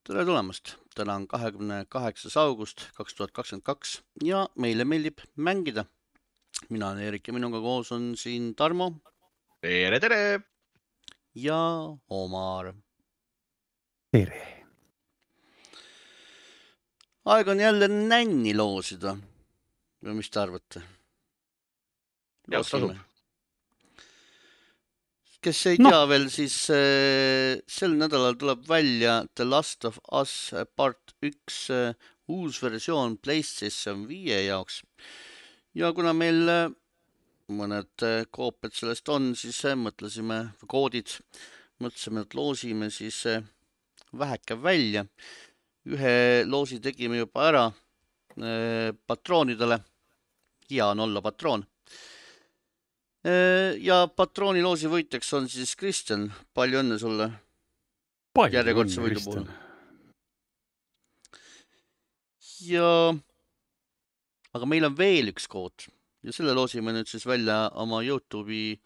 Tere tulemast! Täna on 28. august 2022 ja meile meeldib mängida. Mina olen Erik ja minuga koos on siin Tarmo Tere, tere! ja Omar. Tere! Aeg on jälle nänni loosida. Või mis te arvate? Jah, tasub. Kes ei tea veel, siis sel nädalal tuleb välja The Last of Us Part 1 uus versioon PlayStation 5 jaoks. Ja kuna meil mõned koopiad sellest on, siis mõtlesime, et loosime siis väheke välja. Ühe loosi tegime juba ära patroonidele. Hea on olla patroon. Ja patrooniloosi võitjaks on siis Kristjan. Palju õnne sulle järjekordse võidu puhul. Aga meil on veel üks kood ja selle loosime nüüd siis välja oma YouTube'i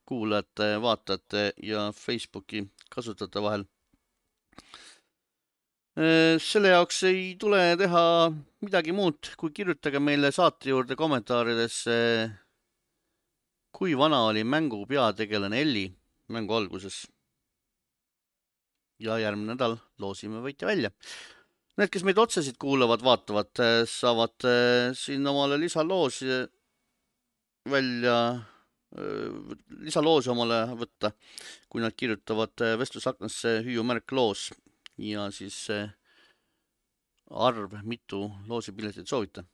kuulajate, vaatajate ja Facebooki kasutajate vahel. Selle jaoks ei tule teha midagi muud, kui kirjutage meile saate juurde kommentaaridesse, kui vana oli mängu peategelane Elli mängu alguses. Ja järgmine nädal loosime võitja välja. Need, kes meid otsesid kuulavad, vaatavad, saavad siin omale lisaloosi omale võtta, kui nad kirjutavad vestlusaknasse hüüumärk loos ja siis arv, mitu loosipiletit soovita.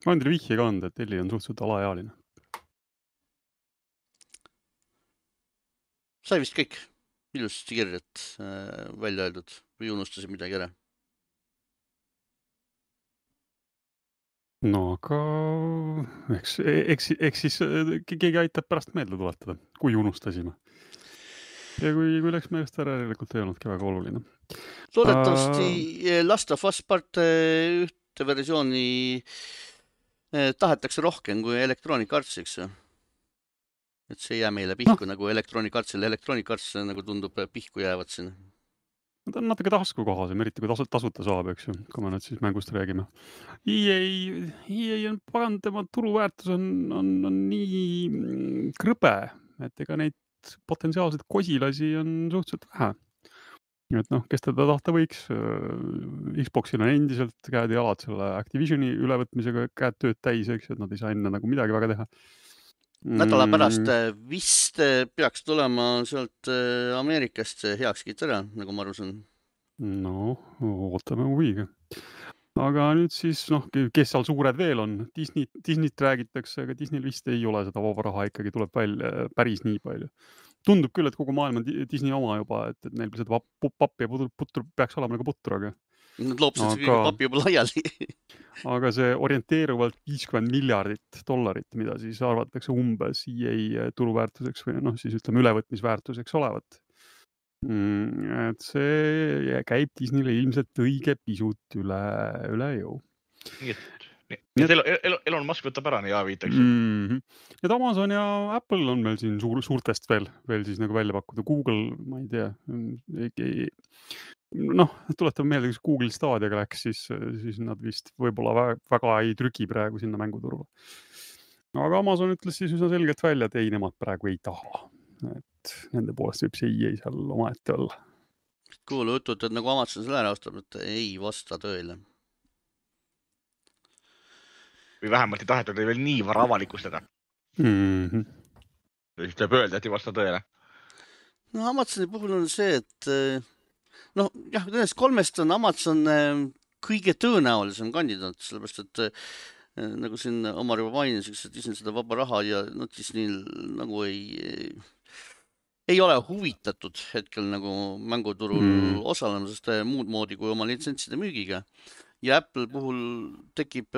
Ma olen teile vihje ka anda, et Elli on suhteliselt alaealine. Sai vist kõik ilusasti kirjad välja öeldud või unustasid midagi ära? No aga eks siis keegi aitab pärast meelde tuletada, kui unustasime. Ja kui läks meelest ära, järelikult ei olnudki väga oluline. Loodetavasti Last of Us Part ühte versiooni tahetakse rohkem kui Electronic Artsiks. Et see ei jää meile pihku nagu Electronic Artsile. Electronic Arts nagu tundub pihku jäävad siin. Ta on natuke taskukohasem, eriti kui tasuta saab, eks ju, kui me nüüd siis mängust räägime. EA on pagan, tema turuväärtus on nii krõbe, et ega neid potentsiaalseid kosilasi on suhteliselt vähe. Et kes teda tahta võiks, Xboxil on endiselt käed ja jalad selle Activisioni ülevõtmisega käed tööd täis, eks, et nad ei saa enne nagu midagi väga teha. Nädala pärast vist peaks tulema sealt Ameerikast heakskiit ära, nagu ma aru saan. No, ootame huviga. Aga nüüd siis, kes seal suured veel on? Disneyt räägitakse, aga Disneyl vist ei ole seda vaba raha, ikkagi tuleb välja päris nii palju. Tundub küll, et kogu maailm on Disney oma juba, et neil seda pappi ja putru peaks olema nagu putru, aga... Nad loopsid kõige papi juba laiali. Aga see orienteeruvalt $50 miljardit, mida siis arvatakse umbes EA turuväärtuseks või siis ütleme ülevõtmisväärtuseks olevat. Et see käib Disneyle ilmselt õige pisut üle jõu. Nii et Elon Musk võtab ära nii A5-teks. Et Amazon ja Apple on meil siin suurtest veel siis nagu välja pakkuda. Google, ma ei tea, tuletame meelde, kus Google Stadiaga läks, siis nad vist võib-olla väga ei trüki praegu sinna mänguturule. Aga Amazon ütles siis üsna selgelt välja, et ei, nemad praegu ei taha. Et nende poolest võib see EA seal omaette olla. Kuulu jutud, et nagu Amazon selle ära ostab, et ei vasta tõele. Või vähemalt ei tahetud veel nii vara avalikustada. Siis tuleb öelda, et ei vasta tõele. No Amazoni puhul on see, et nendest kolmest on Amazon kõige tõenäolisem kandidaat, sellepärast, et nagu siin Omar juba mainis, et Disney seda vaba raha ja Disney nagu ei ole huvitatud hetkel nagu mänguturul osalemisest muud moodi kui oma litsentside müügiga. Ja Apple puhul tekib,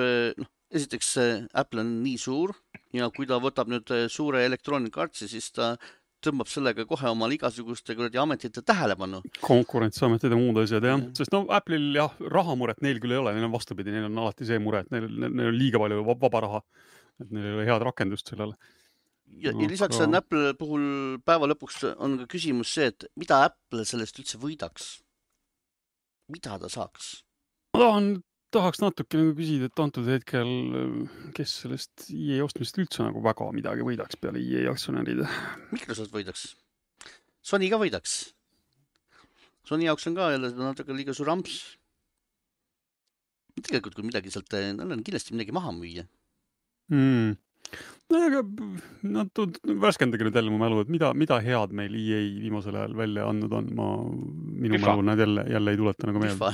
esiteks Apple on nii suur ja kui ta võtab nüüd suure Electronic Artsi, siis ta tõmbab sellega kohe omal igasuguste ametite tähelepanu. Konkurentsiametid ja muud asjad, jah. Sest Apple'il rahamuret neil küll ei ole, neil on vastupidi, neil on alati see mure, et neil on liiga palju vaba raha, et neil ei ole head rakendust sellele. ja lisaks on Apple puhul päeva lõpuks on ka küsimus see, et mida Apple sellest üldse võidaks? Mida ta saaks? Ma tahaks natuke nagu küsida, et antud hetkel, kes sellest EA ostmisest üldse nagu väga midagi võidaks peale EA aktsionäride? Microsoft võidaks. Sony ka võidaks. Sony jaoks on ka jälle natuke liiga suur amps. Tegelikult kui midagi sealt, on kindlasti midagi maha müüa. No aga värskendage nüüd jälle mu mälu, et mida head meil EA viimasel ajal välja andnud on. Minu mälu nad jälle ei tuleta nagu meelde.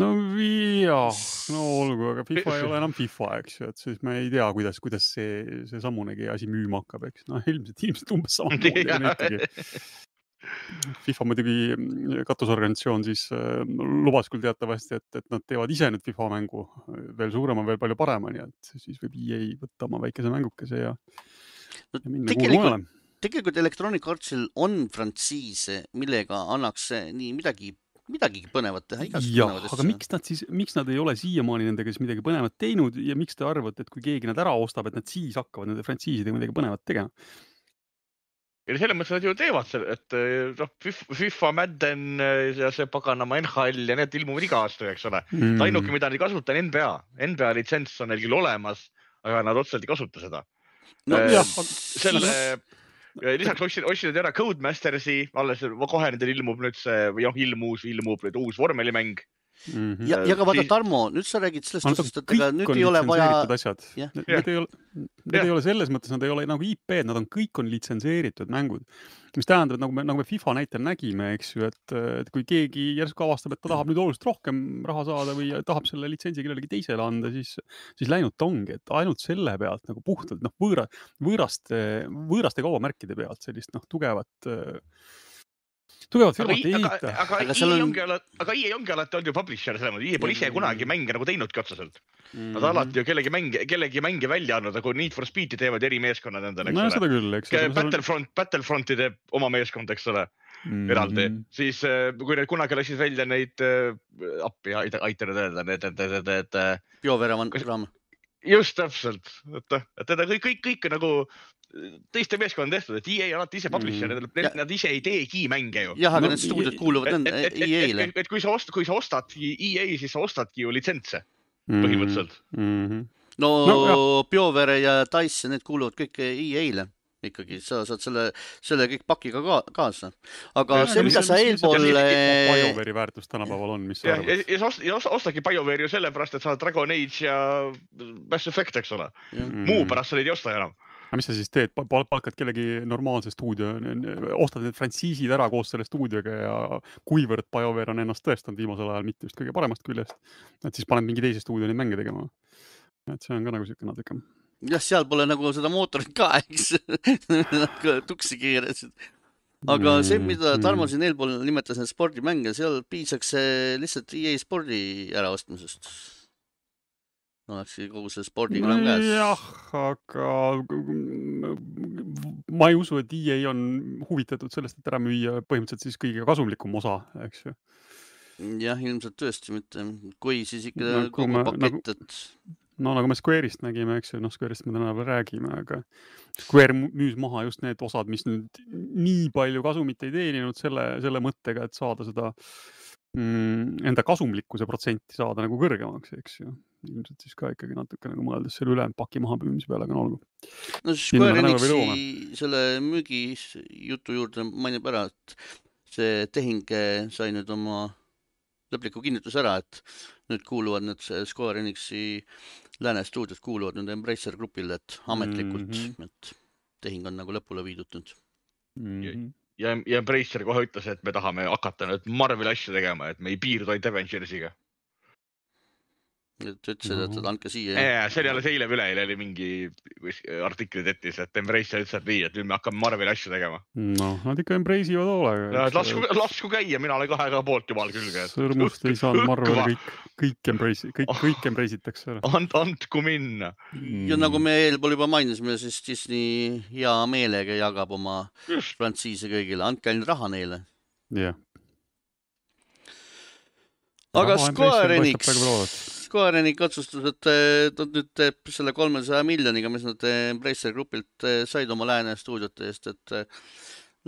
No jah, no olgu, aga FIFA ei ole enam FIFA, eks ju, et siis me ei tea, kuidas see sammunegi asi müüma hakkab, eks. No ilmselt umbes sama moodi. FIFA muidugi katusorganisatsioon siis lubas küll teatavasti, et nad teevad ise nüüd FIFA mängu veel suurema, veel palju parema, nii et siis võib EA võtta oma väikese mängukese ja minna kuulu mujale. Tegelikult Electronic Artsil on frantsiise, millega annaks nii midagi põnevat teha. Jah, aga miks nad ei ole siiamaani nendega siis midagi põnevat teinud ja miks te arvate, et kui keegi nad ära ostab, et nad siis hakkavad nende frantsiisidega midagi põnevat tegema? Ja selles mõttes nad ju teevad selle, et FIFA, Madden ja see paganama NHL ja need ilmuvad iga aasta, eks ole. Ainuke, mida nad ei kasuta, on NBA. NBA litsents on neil küll olemas, aga nad otseselt ei kasuta seda. Lisaks ostsid ära Codemastersi, alles kohe nendel ilmub nüüd see, või ilmub nüüd uus vormelimäng. Ja ka vaata, Tarmo, nüüd sa räägid sellest, et nüüd ei ole vaja... Need ei ole selles mõttes, nad ei ole nagu IP-d, nad on kõik on litsenseeritud mängud. Mis tähendab, et nagu me FIFA näitel nägime, eks ju, et kui keegi järsku avastab, et ta tahab nüüd oluliselt rohkem raha saada või tahab selle litsentsi kellelegi teisele anda, siis läinud ta ongi, et ainult selle pealt nagu puhtalt võõraste kaubamärkide pealt sellist tugevat firmat ei ehita. Aga EA ongi alati olnud ju publisher selles mõttes. EA pole ise kunagi mänge nagu teinudki otseselt. Nad alati ju kellegi mänge välja andnud, aga kui Need for Speed'i teevad eri meeskonnad endale, eks ole. Seda küll, eks. Battlefronti teeb oma meeskond, eks ole, eraldi. Siis kui need kunagi läksid välja neid appi, aitanud öelda, need... BioWare raam. Just täpselt. Et kõik nagu... teiste meeskond on tehtud, et EA alati ise publisher, nad ise ei teegi mänge ju. Jah, aga need stuudiod kuuluvad EA-le. Et kui sa ostad EA, siis sa ostadki ju litsentse põhimõtteliselt. No BioWare ja DICE, need kuuluvad kõik EA-le ikkagi. Sa saad selle kõik pakiga kaasa. Aga see, mida sa eelpool... BioWare'i väärtus tänapäeval on, mis sa arvad? Ja ostagi BioWare ju sellepärast, et sa Dragon Age ja Mass Effect, eks ole. Muu pärast sa neid ei osta enam. Aga mis sa siis teed? Palkad kellegi normaalse stuudio, ostad need frantsiisid ära koos selle stuudioga ja kuivõrd BioWare on ennast tõestanud viimasel ajal mitte just kõige paremast küljest, et siis paned mingi teise stuudio neid mänge tegema. Et see on ka nagu siuke natuke. Jah, seal pole nagu seda mootorit ka, eks. Tuksi keerasid. Aga see, mida Tarmo siin eelpool nimetas need spordimänge, seal piisaks lihtsalt EA spordi äraostmisest. Oleks kogu see spordiga enam käes. Jah, aga ma ei usu, et EA on huvitatud sellest, et ära müüa põhimõtteliselt siis kõige kasumlikum osa, eks ju. Jah, ilmselt tõesti mitte. Kui siis ikka kogu pakett, et... No nagu me Square'ist nägime, eks ju, Square'ist me täna veel räägime, aga Square müüs maha just need osad, mis nüüd nii palju kasumit ei teeninud selle mõttega, et saada seda enda kasumlikkuse protsenti saada nagu kõrgemaks, eks ju. Ilmselt siis ka ikkagi natuke nagu mõeldes selle ülejäänud paki maha püümise peale, aga olgu. No Square Enixi selle müügi jutu juurde mainib ära, et see tehing sai nüüd oma lõpliku kinnitus ära, et nüüd kuuluvad need Square Enixi lääne stuudios kuuluvad nüüd Embracer grupile, et ametlikult, et tehing on nagu lõpule viidud nüüd. Ja Embracer kohe ütles, et me tahame hakata nüüd Marveli asju tegema, et me ei piirdu ainult Avengersiga. Et ütlesid, et andke siia. See oli alles eile või üleeile oli mingi artikli tetis, et Embracer ütles, et nii, et nüüd me hakkame Marveli asju tegema. No, nad ikka Embrace'ivad hoolega. Lasku käia, mina olen kahega poolt jumal külge. Sõrmust ei saanud Marveli kõik Embrace'itakse. Andku minna. Ja nagu me eelpool juba mainisime, siis Disney hea meelega jagab oma frantsiise kõigile. Andke ainult raha neile. Jah. Aga Square Enix Square Enix otsustas, et nad nüüd teeb selle 300 miljoniga, mis nad Embracer Groupilt said oma Lääne stuudiote eest, et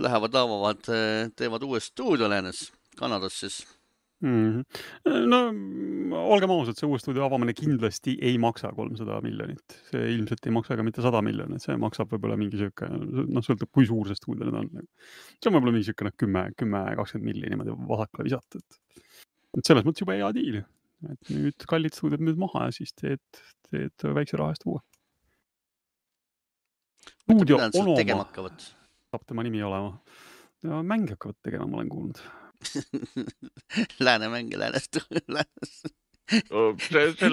lähevad avavad, teevad uue stuudio Läänes, Kanadas siis. No olgem ausad, see uue stuudio avamine kindlasti ei maksa 300 miljonit. See ilmselt ei maksa ka mitte 100 miljonit, see maksab võib-olla mingi siuke, sõltub kui suur see stuudio nüüd on. See on võib-olla mingi siuke 10-20 miljonit niimoodi vasakule visata. Et selles mõttes juba hea diil. Et nüüd kallid stuudiod nüüd maha ja siis teed väikse raha eest uue. Stuudio Onoma saab tema nimi olema. Ja mänge hakkavad tegema, ma olen kuulnud. Lääne mänge Läänest.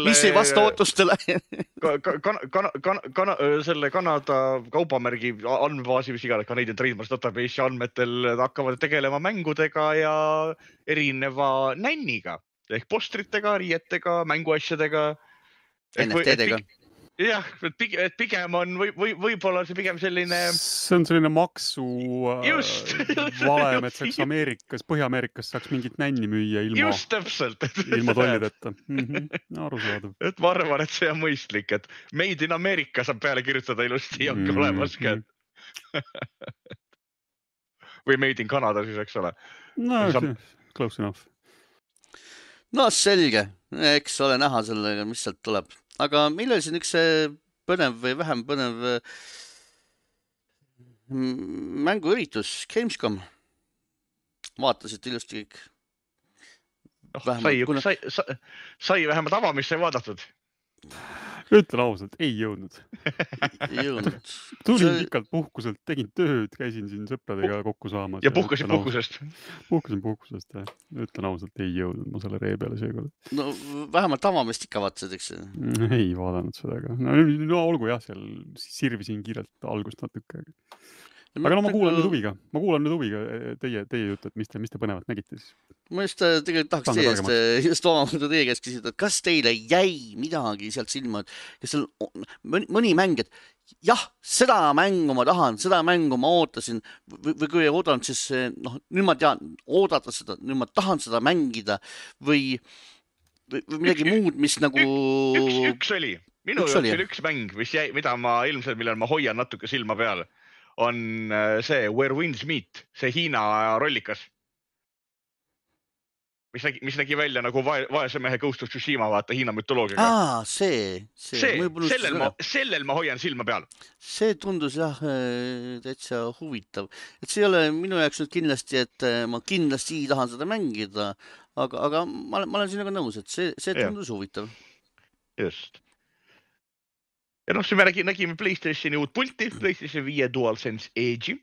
Mis ei vasta ootustele. Selle Kanada kaubamärgi andmebaasi, mis iganes Canadian Trademarks Database andmetel hakkavad tegelema mängudega ja erineva nänniga. Ehk postritega, riietega, mänguasjadega. NFT-dega. Jah, et pigem on võib-olla see pigem selline... See on selline maksu valem, et saaks Põhja-Ameerikas saaks mingit nänni müüa ilma tollideta. Arusaadav. Et ma arvan, et see on mõistlik, et Made in America saab peale kirjutada ilusti ja ongi olemas ka. Või Made in Canada siis, eks ole. No, close enough. No selge, eks ole näha sellega, mis sealt tuleb. Aga millal siin üks põnev või vähem põnev mänguüritus, Gamescom? Vaatasid ilusti kõik? Sai vähemalt avamist sai vaadatud. Ütlen ausalt, ei jõudnud. Ei jõudnud. Tulin pikalt puhkuselt, tegin tööd, käisin siin sõpradega kokku saamas. Ja puhkasin puhkusest? Puhkasin puhkusest, jah. Ütlen ausalt, ei jõudnud ma selle ree peale seekord. No vähemalt avamist ikka vaatasid, eks? Ei vaadanud seda ka. No olgu jah, seal sirvisin kiirelt algust natuke. Aga no ma kuulan nüüd huviga teie juttu, et mis te põnevat nägite siis. Ma just tegelikult tahaks just teie käest küsida, et kas teile jäi midagi sealt silma, et seal mõni mäng, et jah, seda mängu ma tahan, seda mängu ma ootasin või kui ei oodanud, siis nüüd ma tean oodata seda, nüüd ma tahan seda mängida või midagi muud, mis nagu... Üks oli. Minu jaoks oli üks mäng, mida ma ilmselt, millal ma hoian natuke silma peal, on see Where Winds Meet, see Hiina rollikas. Mis nägi välja nagu vaese mehe Ghost of Tsushima, vaata Hiina mütoloogiaga. Sellel ma hoian silma peal. See tundus jah täitsa huvitav. Et see ei ole minu jaoks nüüd kindlasti, et ma kindlasti tahan seda mängida, aga ma olen sinuga nõus, et see tundus huvitav. Just. Ja noh, me nägime PlayStationi uut pulti, PlayStation 5 DualSense Edge'i,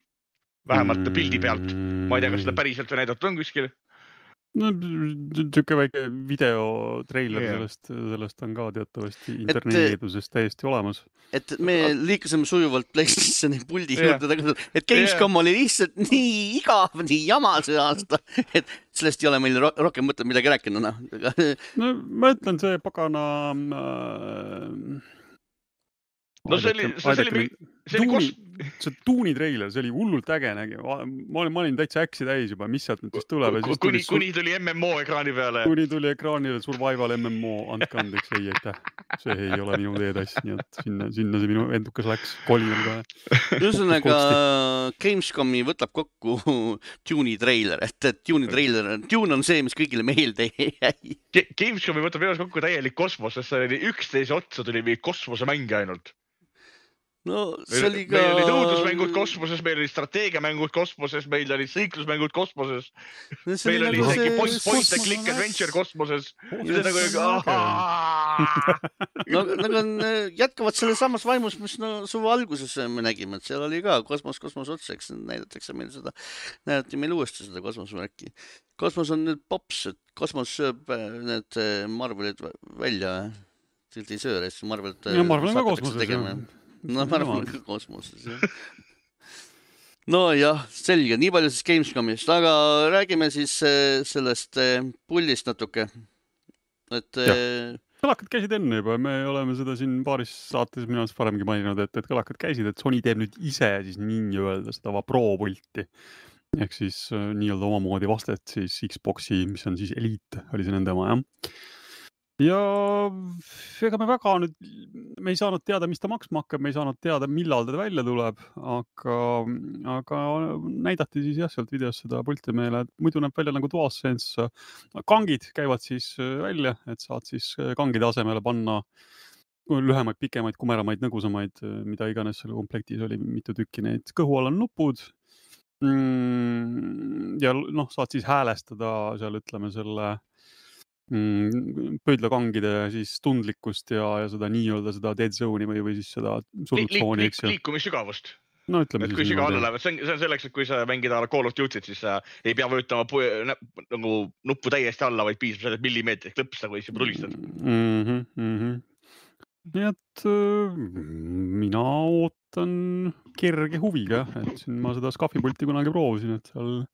vähemalt pildi pealt. Ma ei tea, kas seda päriselt või näidatud on kuskil. No, tükke väike videotreiler sellest on ka teatavasti interneedusest täiesti olemas. Et me liikusime sujuvalt PlayStationi puldi juurde, et Gamescom oli lihtsalt nii igav, nii jama see aasta, et sellest ei ole meil rohkem mõtled midagi rääkida. No ma ütlen, see pagana... No see Tuuni treiler, see oli hullult äge nägi. Ma olin täitsa äksi täis juba, mis sealt nüüd siis tuleb. Kuni tuli MMO ekraani peale. Kuni tuli ekraanile Survival MMO, andke andeks, ei aitäh. See ei ole minu teetass, nii et sinna see minu endukas läks kolinal kohe. Ühesõnaga Gamescomi võtab kokku Tune'i treiler, et Tune on see, mis kõigile meelde jäi. Gamescomi võtab ees kokku täielik kosmos, sest see oli 11 otsa tuli või kosmosemänge ainult. No, meil oli õudusmängud kosmoses, meil oli strateegiamängud kosmoses, meil oli sõiklusmängud kosmoses, meil oli isegi point and click adventure kosmoses. Nad on jätkavad selle samas vaimus, mis suve alguses me nägime, et seal oli ka kosmos otseks, näidatakse meil seda, näidati meil uuesti seda kosmosmärki. Kosmos on nüüd pops, et kosmos sööb need Marvelid välja, tilt ei sööre, siis Marvelid on ka kosmoses, No ma arvan ka kosmoses, jah. No jah, selge, nii palju siis Gamescomist, aga räägime siis sellest pullist natuke. Kõlakad käisid enne juba, me oleme seda siin paaris saates minu arust varemgi maininud, et kõlakad käisid, et Sony teeb nüüd ise siis nii öelda seda Pro pulti. Ehk siis nii-öelda omamoodi vastet siis Xboxi, mis on siis Elite, oli see nende oma, jah. ja ega me väga nüüd, me ei saanud teada, mis ta maksma hakkab, me ei saanud teada, millal ta välja tuleb, aga näidati siis jah, sealt videost seda pulti meile, et muidu näeb välja nagu DualSense. Kangid käivad siis välja, et saad siis kangide asemele panna lühemaid, pikemaid, kumeramaid, nõgusamaid, mida iganes selle komplektis oli, mitu tükki neid. Kõhu all on nupud. Ja noh, saad siis häälestada seal, ütleme, selle pöidlakangide siis tundlikkust ja seda nii-öelda seda dead zone'i või siis seda surutsooni, eks ju. Liikumissügavust. No ütleme et siis kui süga alla läheb, see on selleks, et kui sa mängid Call of Duty't, siis sa ei pea vöötama nagu nuppu täiesti alla, vaid piisab sellest millimeetrist klõpsta, kui juba tulistad. Nii et mina ootan kerge huviga, et siin ma seda skafipulti kunagi proovisin, et seal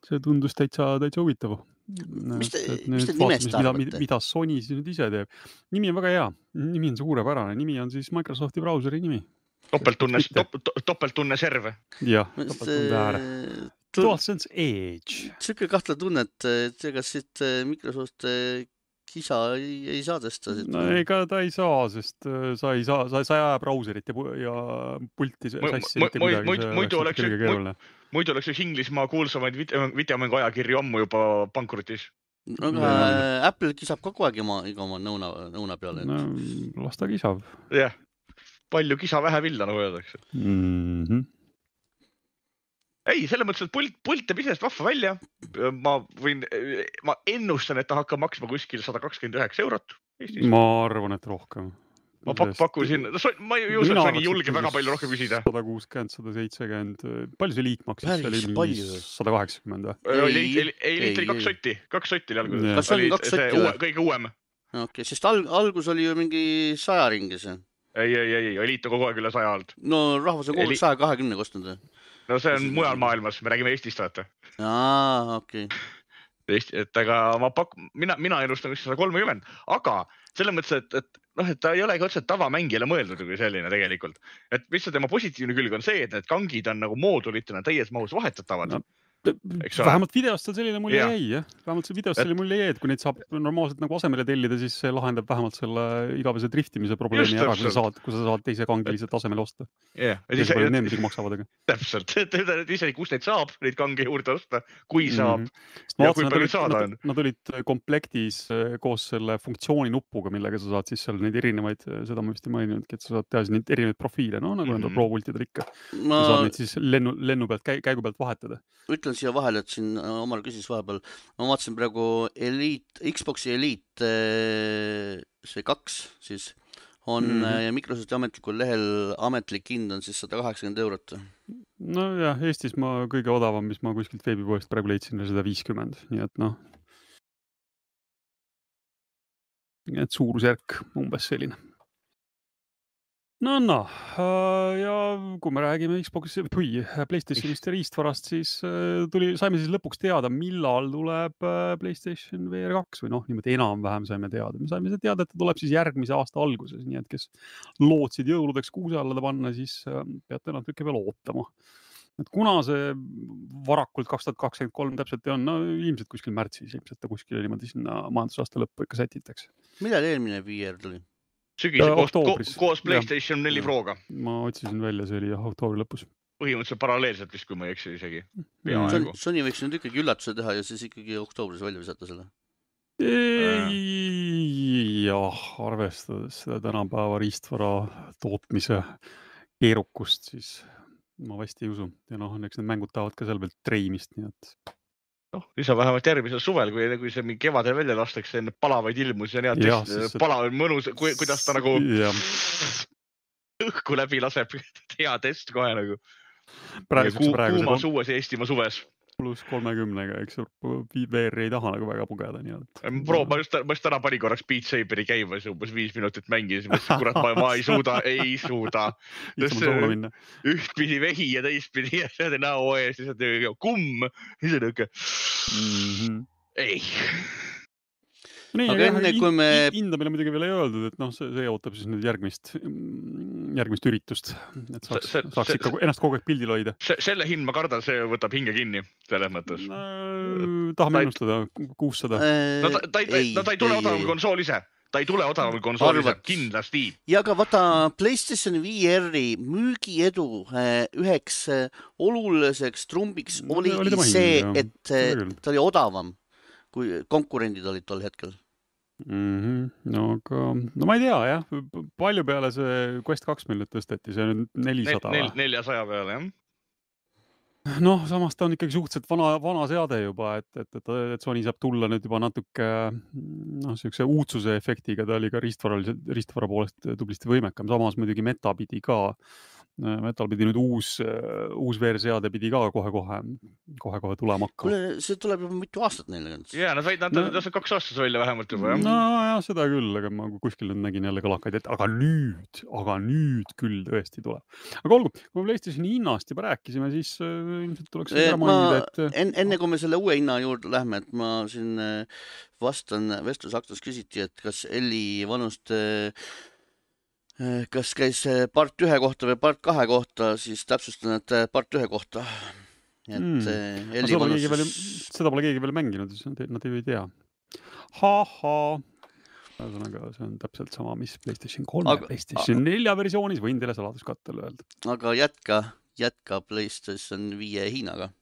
see tundus täitsa huvitav. Mis te nimest arvate? Mida Sony siis nüüd ise teeb. Nimi on väga hea, nimi on suurepärane, nimi on siis Microsofti brauseri nimi. Topelttunne serve. Jah, topelttunne ääre. DualSense Edge. Siuke kahtle tunne, et ega siit Microsoft kisa ei saa tõsta. No ega ta ei saa, sest sa ei aja brauserit ja pulti sassi. Muidu oleks üks Inglismaa kuulsamaid videomängu ajakirju ammu juba pankrutis. Aga Apple kisab kogu aeg iga oma nõuna peale. No, las ta kisab. Jah, palju kisa vähe villa, nagu öeldakse. Ei, selle mõttes, et pult teeb isest vahva välja. Ma ennustan, et ta hakkab maksma kuskil 129 eurot. Ma arvan, et rohkem. Ma pakkusin, ma ei usu, et Sony julge väga palju rohkem küsida. 160, 170, palju see liit maksis? Päris palju. 180 või? Ei, liit oli 2 sotti. 2 sotti oli alguses. Kas oli 2 sotti või? Kõige uuem. Okei, sest algus oli ju mingi 100 ringis. Ei, liit on kogu aeg üle 100 alt. No rahvas on kogu 120 kostnud. No see on mujal maailmas, me räägime Eestist, vaata. Okei. Et aga mina ennustan 130, aga selles mõttes, et ta ei olegi otseselt tavamängijale mõeldud kui selline tegelikult. Et mis tema positiivne külg on see, et need kangid on nagu moodulitena täies mahus vahetatavad. No, vähemalt videost selline mulje jäi, jah. Vähemalt see videost selline mulje jäi, et kui neid saab normaalselt nagu asemele tellida, siis see lahendab vähemalt selle igavese driftimise probleemi ära, kui sa saad teise kangi lihtsalt asemele osta. Teise palju need maksavad, aga. Täpselt. Ise, kus neid saab, neid kange juurde osta, kui saab ja kui palju saada on. Nad olid komplektis koos selle funktsiooni nupuga, millega sa saad siis seal neid erinevaid, seda ma vist ei maininudki, et sa saad teha neid erinevaid profiile, no nagu enda pro-pultidel ikka. Sa saad neid siis lennu pealt, käigu pealt vahetada. Ütlen siia vahele, et siin Omar küsis vahepeal. Ma vaatasin praegu Xboxi Elite see 2 siis on ja Microsofti ametlikul lehel ametlik hind on siis 180 eurot. No jah, Eestis ma kõige odavam, mis ma kuskilt veebipoest praegu leidsin, 150, nii et noh. Et suurusjärk umbes selline. No, ja kui me räägime Xbox'i või PlayStationist ja riistvarast, siis saime siis lõpuks teada, millal tuleb PlayStation VR 2 või noh, niimoodi enam-vähem saime teada. Me saime teada, et ta tuleb siis järgmise aasta alguses, nii et kes lootsid jõuludeks kuuse alla panna, siis peate natuke veel ootama. Et kuna see varakult 2023 täpselt on, no ilmselt kuskil märtsis, ilmselt ta kuskil niimoodi sinna majandusaasta lõppu ikka sätitakse. Millal eelmine VR tuli? Sügise koos PlayStation 4 Proga. Ma otsisin välja, see oli oktoobri lõpus. Põhimõtteliselt paralleelselt vist, kui ma ei eksi isegi. Sony võiks nüüd ikkagi üllatuse teha ja siis ikkagi oktoobris välja visata selle. Jah, arvestades seda tänapäeva riistvara tootmise keerukust, siis ma vast ei usu. Ja noh, eks need mängud tahavad ka seal veel treimist, nii et... Lisa vähemalt järgmisel suvel, kui see mingi kevadel välja lastakse, enne palavaid ilmus ja palavaid mõnus, kuidas ta nagu õhku läbi laseb, hea test kohe nagu. Kuumas uues Eestimaa suves. Plus 30-ga, eks VR ei taha nagu väga pugeda. Ma just täna pani korraks Beat Saberi käimas umbes 5 minutit mängis. Kurat, ma ei suuda. Ühtpidi vehi ja teistpidi ja see näo ees, siis on kumm. Siis on õige. Ei. Aga enne kui me... Hinda meile muidugi veel ei öeldud, et noh, see ootab siis nüüd järgmist üritust, et saaks ikka ennast kogu aeg pildil hoida. Selle hind ma kardan, see võtab hinge kinni selles mõttes. Tahame ennustada 600. Ta ei tule odavam konsool ise. Ta ei tule odavam konsool ise, kindlasti. Ja aga vaata PlayStation VR-i müügiedu üheks oluliseks trumbiks oli see, et ta oli odavam, kui konkurendid olid tol hetkel. No ma ei tea, jah. Palju peale see Quest 2 meil nüüd tõsteti, see on 400 või? 400 peale, jah. Noh, samas ta on ikkagi suhteliselt vana seade juba, et Sony saab tulla nüüd juba natuke sellise uudsuse efektiga, ta oli ka ristvara poolest tublisti võimekam, samas muidugi Metal pidi nüüd uus VR-seade pidi ka kohe tulema hakka. Kuule, see tuleb juba mitu aastat neile. Jaa, nad saavad 2 aastas välja vähemalt juba, jah. No jah, seda küll, aga ma kuskil nüüd nägin jälle kalakaid, et aga nüüd küll tõesti tuleb. Aga olgu, kui me PlayStationi hinnast juba rääkisime, siis ilmselt tuleks mainida, et... Enne kui me selle uue hinna juurde lähme, et ma siin vastan, vestlusaktus küsiti, et kas Elli vanust kas käis part 1 kohta või part 2 kohta, siis täpsustan, et part 1 kohta. Seda pole keegi veel mänginud, nad ei tea. Ühesõnaga, see on täpselt sama, mis PlayStation 3 ja PlayStation 4 versioonis, võin teile saladuskattel öelda. Aga jätka PlayStation 5 Hiinaga.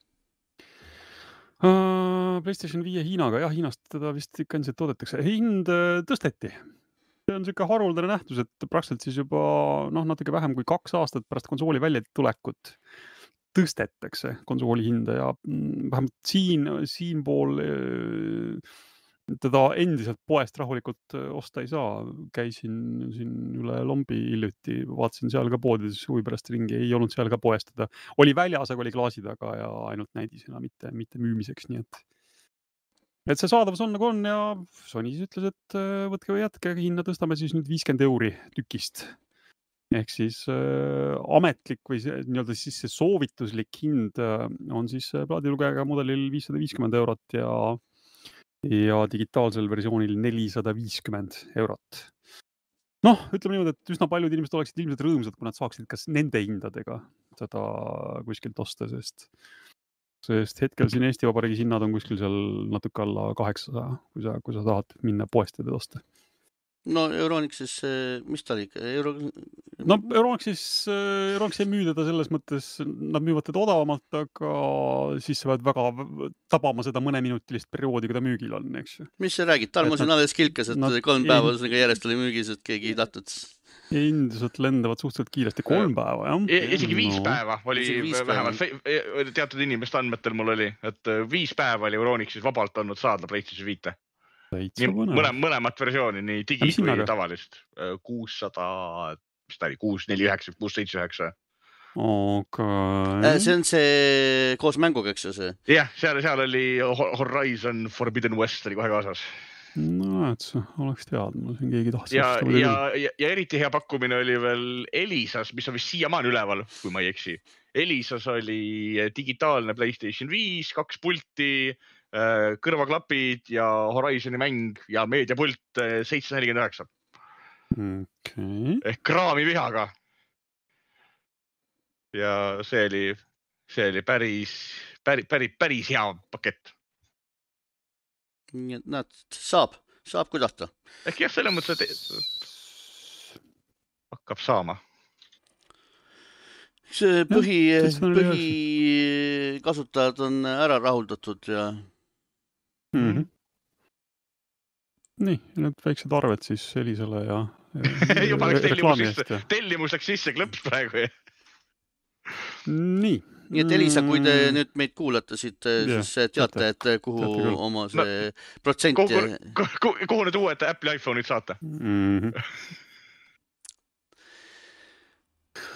PlayStation 5 Hiinaga, jah, Hiinast teda vist ikka endiselt toodetakse. Hind tõsteti. See on selline haruldane nähtus, et praktiliselt siis juba natuke vähem kui 2 aastat pärast konsooli väljatulekut tõstetakse konsooli hinda ja vähemalt siin pool teda endiselt poest rahulikult osta ei saa. Käisin siin üle Lombi hiljuti, vaatasin seal ka poodides huvi pärast ringi, ei olnud seal ka poest teda. Oli väljas, aga oli klaasi taga ja ainult näidisena, mitte müümiseks, nii et see saadavus on nagu on ja Sony ütles, et võtke või jätke, hinna tõstame siis nüüd 50 € tükist. Ehk siis ametlik või nii-öelda siis see soovituslik hind on siis plaadilugejaga mudelil 550 € ja digitaalsel versioonil 450 €. Noh, ütleme niimoodi, et üsna paljud inimesed oleksid ilmselt rõõmsad, kui nad saaksid kas nende hindadega seda kuskilt osta, sest hetkel siin Eesti Vabariigis hinnad on kuskil seal natuke alla 800, kui sa tahad minna poest ja osta. No Euronixis, mis ta oli? No Euronixis ei müü teda selles mõttes, nad müüvad teda odavamalt, aga siis sa pead väga tabama seda mõneminutilist perioodi, kui ta müügil on, eks. Mis sa räägid? Talma siin alles kilkas, et 3 päeva järjest oli müügis, et keegi ei tahtnud. Indused lendavad suhteliselt kiiresti 3 päeva, jah. Isegi 5 päeva oli vähemalt teatud inimeste andmetel mul oli, et 5 päeva oli Euronixis vabalt olnud saada PlayStation 5. Mõlemat versiooni, nii digi kui tavalist. 600, mis ta oli, 649, 679. Okay. See on see koos mänguga, eks see? Jah, seal oli Horizon Forbidden West oli kohe kaasas. No, et see oleks teadnud, mul siin keegi tahtis. Ja eriti hea pakkumine oli veel Elisas, mis on vist siiamaani üleval, kui ma ei eksi. Elisas oli digitaalne PlayStation 5, 2 pulti, kõrvaklapid ja Horizoni mäng ja meediapult 749. Okay. Ehk kraami vihaga. Ja see oli päris hea pakett. Nii et nad saab kudata. Ehk jah, selle mõttes, et hakkab saama. See põhi kasutajad on ära rahuldatud ja... Nii, need väiksed arved siis Elisale ja juba tellimus läks sisse klõps praegu. Nii et Elisa, kui te nüüd meid kuulate siit, siis teate, et kuhu oma see protsent... Kuhu need uued Apple'i iPhone'id saate?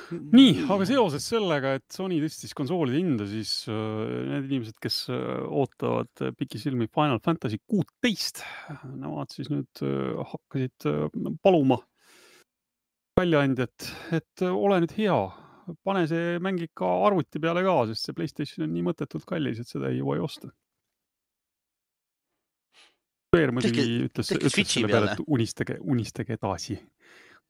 Nii, aga seoses sellega, et Sony tõstis konsoolide hinda, siis need inimesed, kes ootavad pikisilmi Final Fantasy 16, nemad siis nüüd hakkasid paluma väljaandjat, et ole nüüd hea, pane see mäng ikka arvuti peale ka, sest see PlayStation on nii mõttetult kallis, et seda ei jõua osta. Peer muidugi ütles selle peale, et unistage edasi.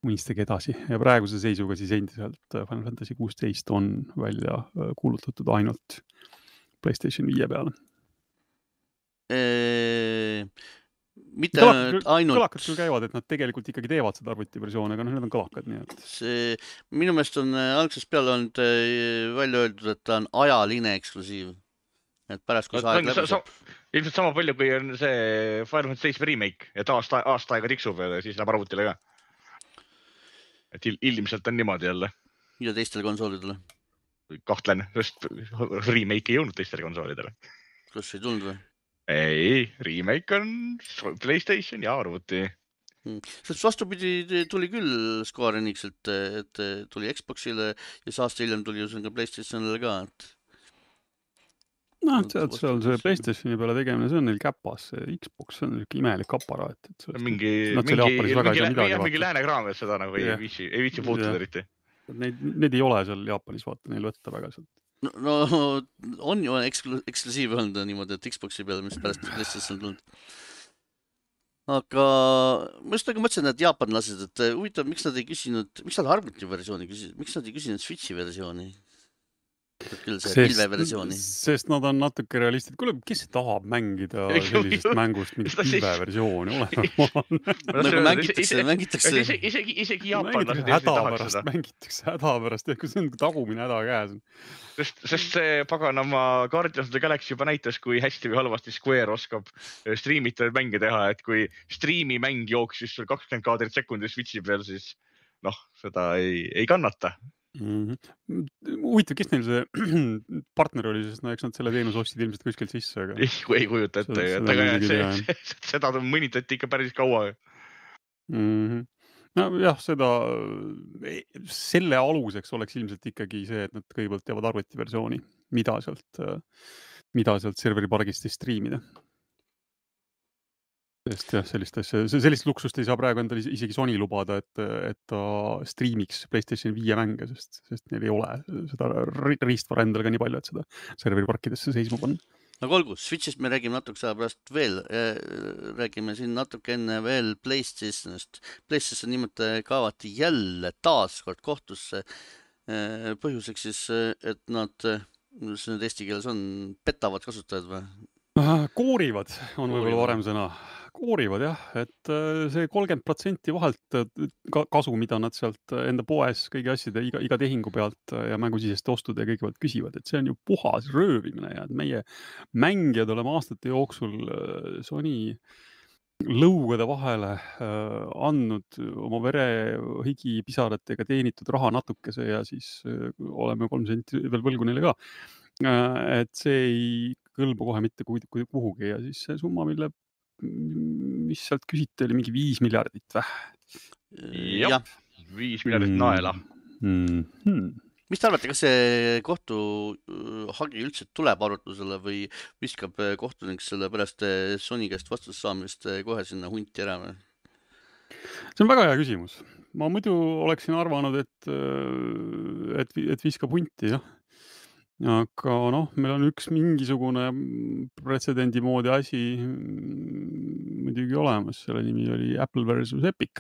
unistage edasi ja praeguse seisuga siis endiselt Final Fantasy 16 on välja kuulutatud ainult PlayStation 5 peale. Mitte ainult... Kõlakad küll käivad, et nad tegelikult ikkagi teevad seda arvutiversiooni, aga need on kõlakad. Nii et... Minu meelest on algsest peale olnud välja öeldud, et ta on ajaline eksklusiiv. Et pärast, kui aeg läbi saab. Ilmselt sama palju, kui on see Final Fantasy 7 remake, et aasta aega tiksub ja siis läheb arvutile ka. Et ilmselt on niimoodi jälle. Ja teistele konsoolidele? Kahtlen, sest remake ei jõudnud teistele konsoolidele. Kas ei tulnud või? Ei, remake on PlayStation ja arvuti. Sest vastupidi tuli küll Square Enixilt, et tuli Xboxile ja aasta hiljem tuli ju ka PlayStationile ka. No, seal see PlayStationi peale tegemine, see on neil käpas. Xbox on imelik aparaat. Mingi lääne kraam, et seda nagu ei viitsi puutuda eriti. Need ei ole seal Jaapanis, vaata, neil võtta väga sealt. No on ju eksklusiiv olnud niimoodi, et Xboxi peale, mis pärast PlayStation tulnud. Aga ma just nagu mõtlesin, et jaapanlased, et huvitav, miks nad ei küsinud, miks nad arvuti versiooni küsisid, miks nad ei küsinud Switchi versiooni? Küll see pilveversiooni. Sest nad on natuke realistid. Kuule, kes tahab mängida sellisest mängust mingit pilveversiooni? Nagu mängitakse. Isegi jaapanlased hädapärast. Kui see on tagumine häda käes. Sest see paganama Guardians of the Galaxy juba näitas, kui hästi või halvasti Square oskab streamita mänge teha. Et kui streami mäng jooksis sul 20 kaadrit sekundis Switchi peal, siis seda ei kannata. Huvitav, kes neil see partner oli, sest eks nad selle teenuse ostsid ilmselt kuskilt sisse. Aga... Ei kujuta ette, seda mõnitati ikka päris kaua. No jah, selle aluseks oleks ilmselt ikkagi see, et nad kõigepealt teevad arvutiversiooni, mida sealt serveri pargist streamida. Sest jah, sellist luksust ei saa praegu endale isegi Sony lubada, et ta streamiks PlayStation 5 mänge, sest neil ei ole seda riistvara endale ka nii palju, et seda serveriparkidesse seisma panna. Aga olgu, Switchist me räägime natuke saa pärast veel. Räägime siin natuke enne veel PlayStationist. PlayStation nimelt kaevati jälle taaskord kohtusse. Põhjuseks siis, et nad, mis nüüd eesti keeles on, petavad kasutajad või? Koorivad on võib-olla varem sõna. Koorivad jah, et see 30% vahelt kasu, mida nad sealt enda poes kõigi asjade iga tehingu pealt ja mängusiseste ostude ja kõige pealt küsivad, et see on ju puhas röövimine ja et meie mängijad oleme aastate jooksul Sony lõugade vahele andnud oma vere, higi, pisaratega teenitud raha natukese ja siis oleme 3 senti veel võlgu neile ka. Et see ei kõlba kohe mitte kuhugi ja siis see summa, mis sealt küsiti, oli mingi 5 miljardit väh. Jah, 5 miljardit naela. Mis te arvate, kas see kohtuhagi üldse tuleb arutlusele või viskab kohtunik selle pärast Sony käest vastust saamist kohe sinna hunti ära? See on väga hea küsimus. Ma muidu oleksin arvanud, et viskab hunti, jah. Aga meil on üks mingisugune pretsedendi moodi asi muidugi olemas. Selle nimi oli Apple versus Epic,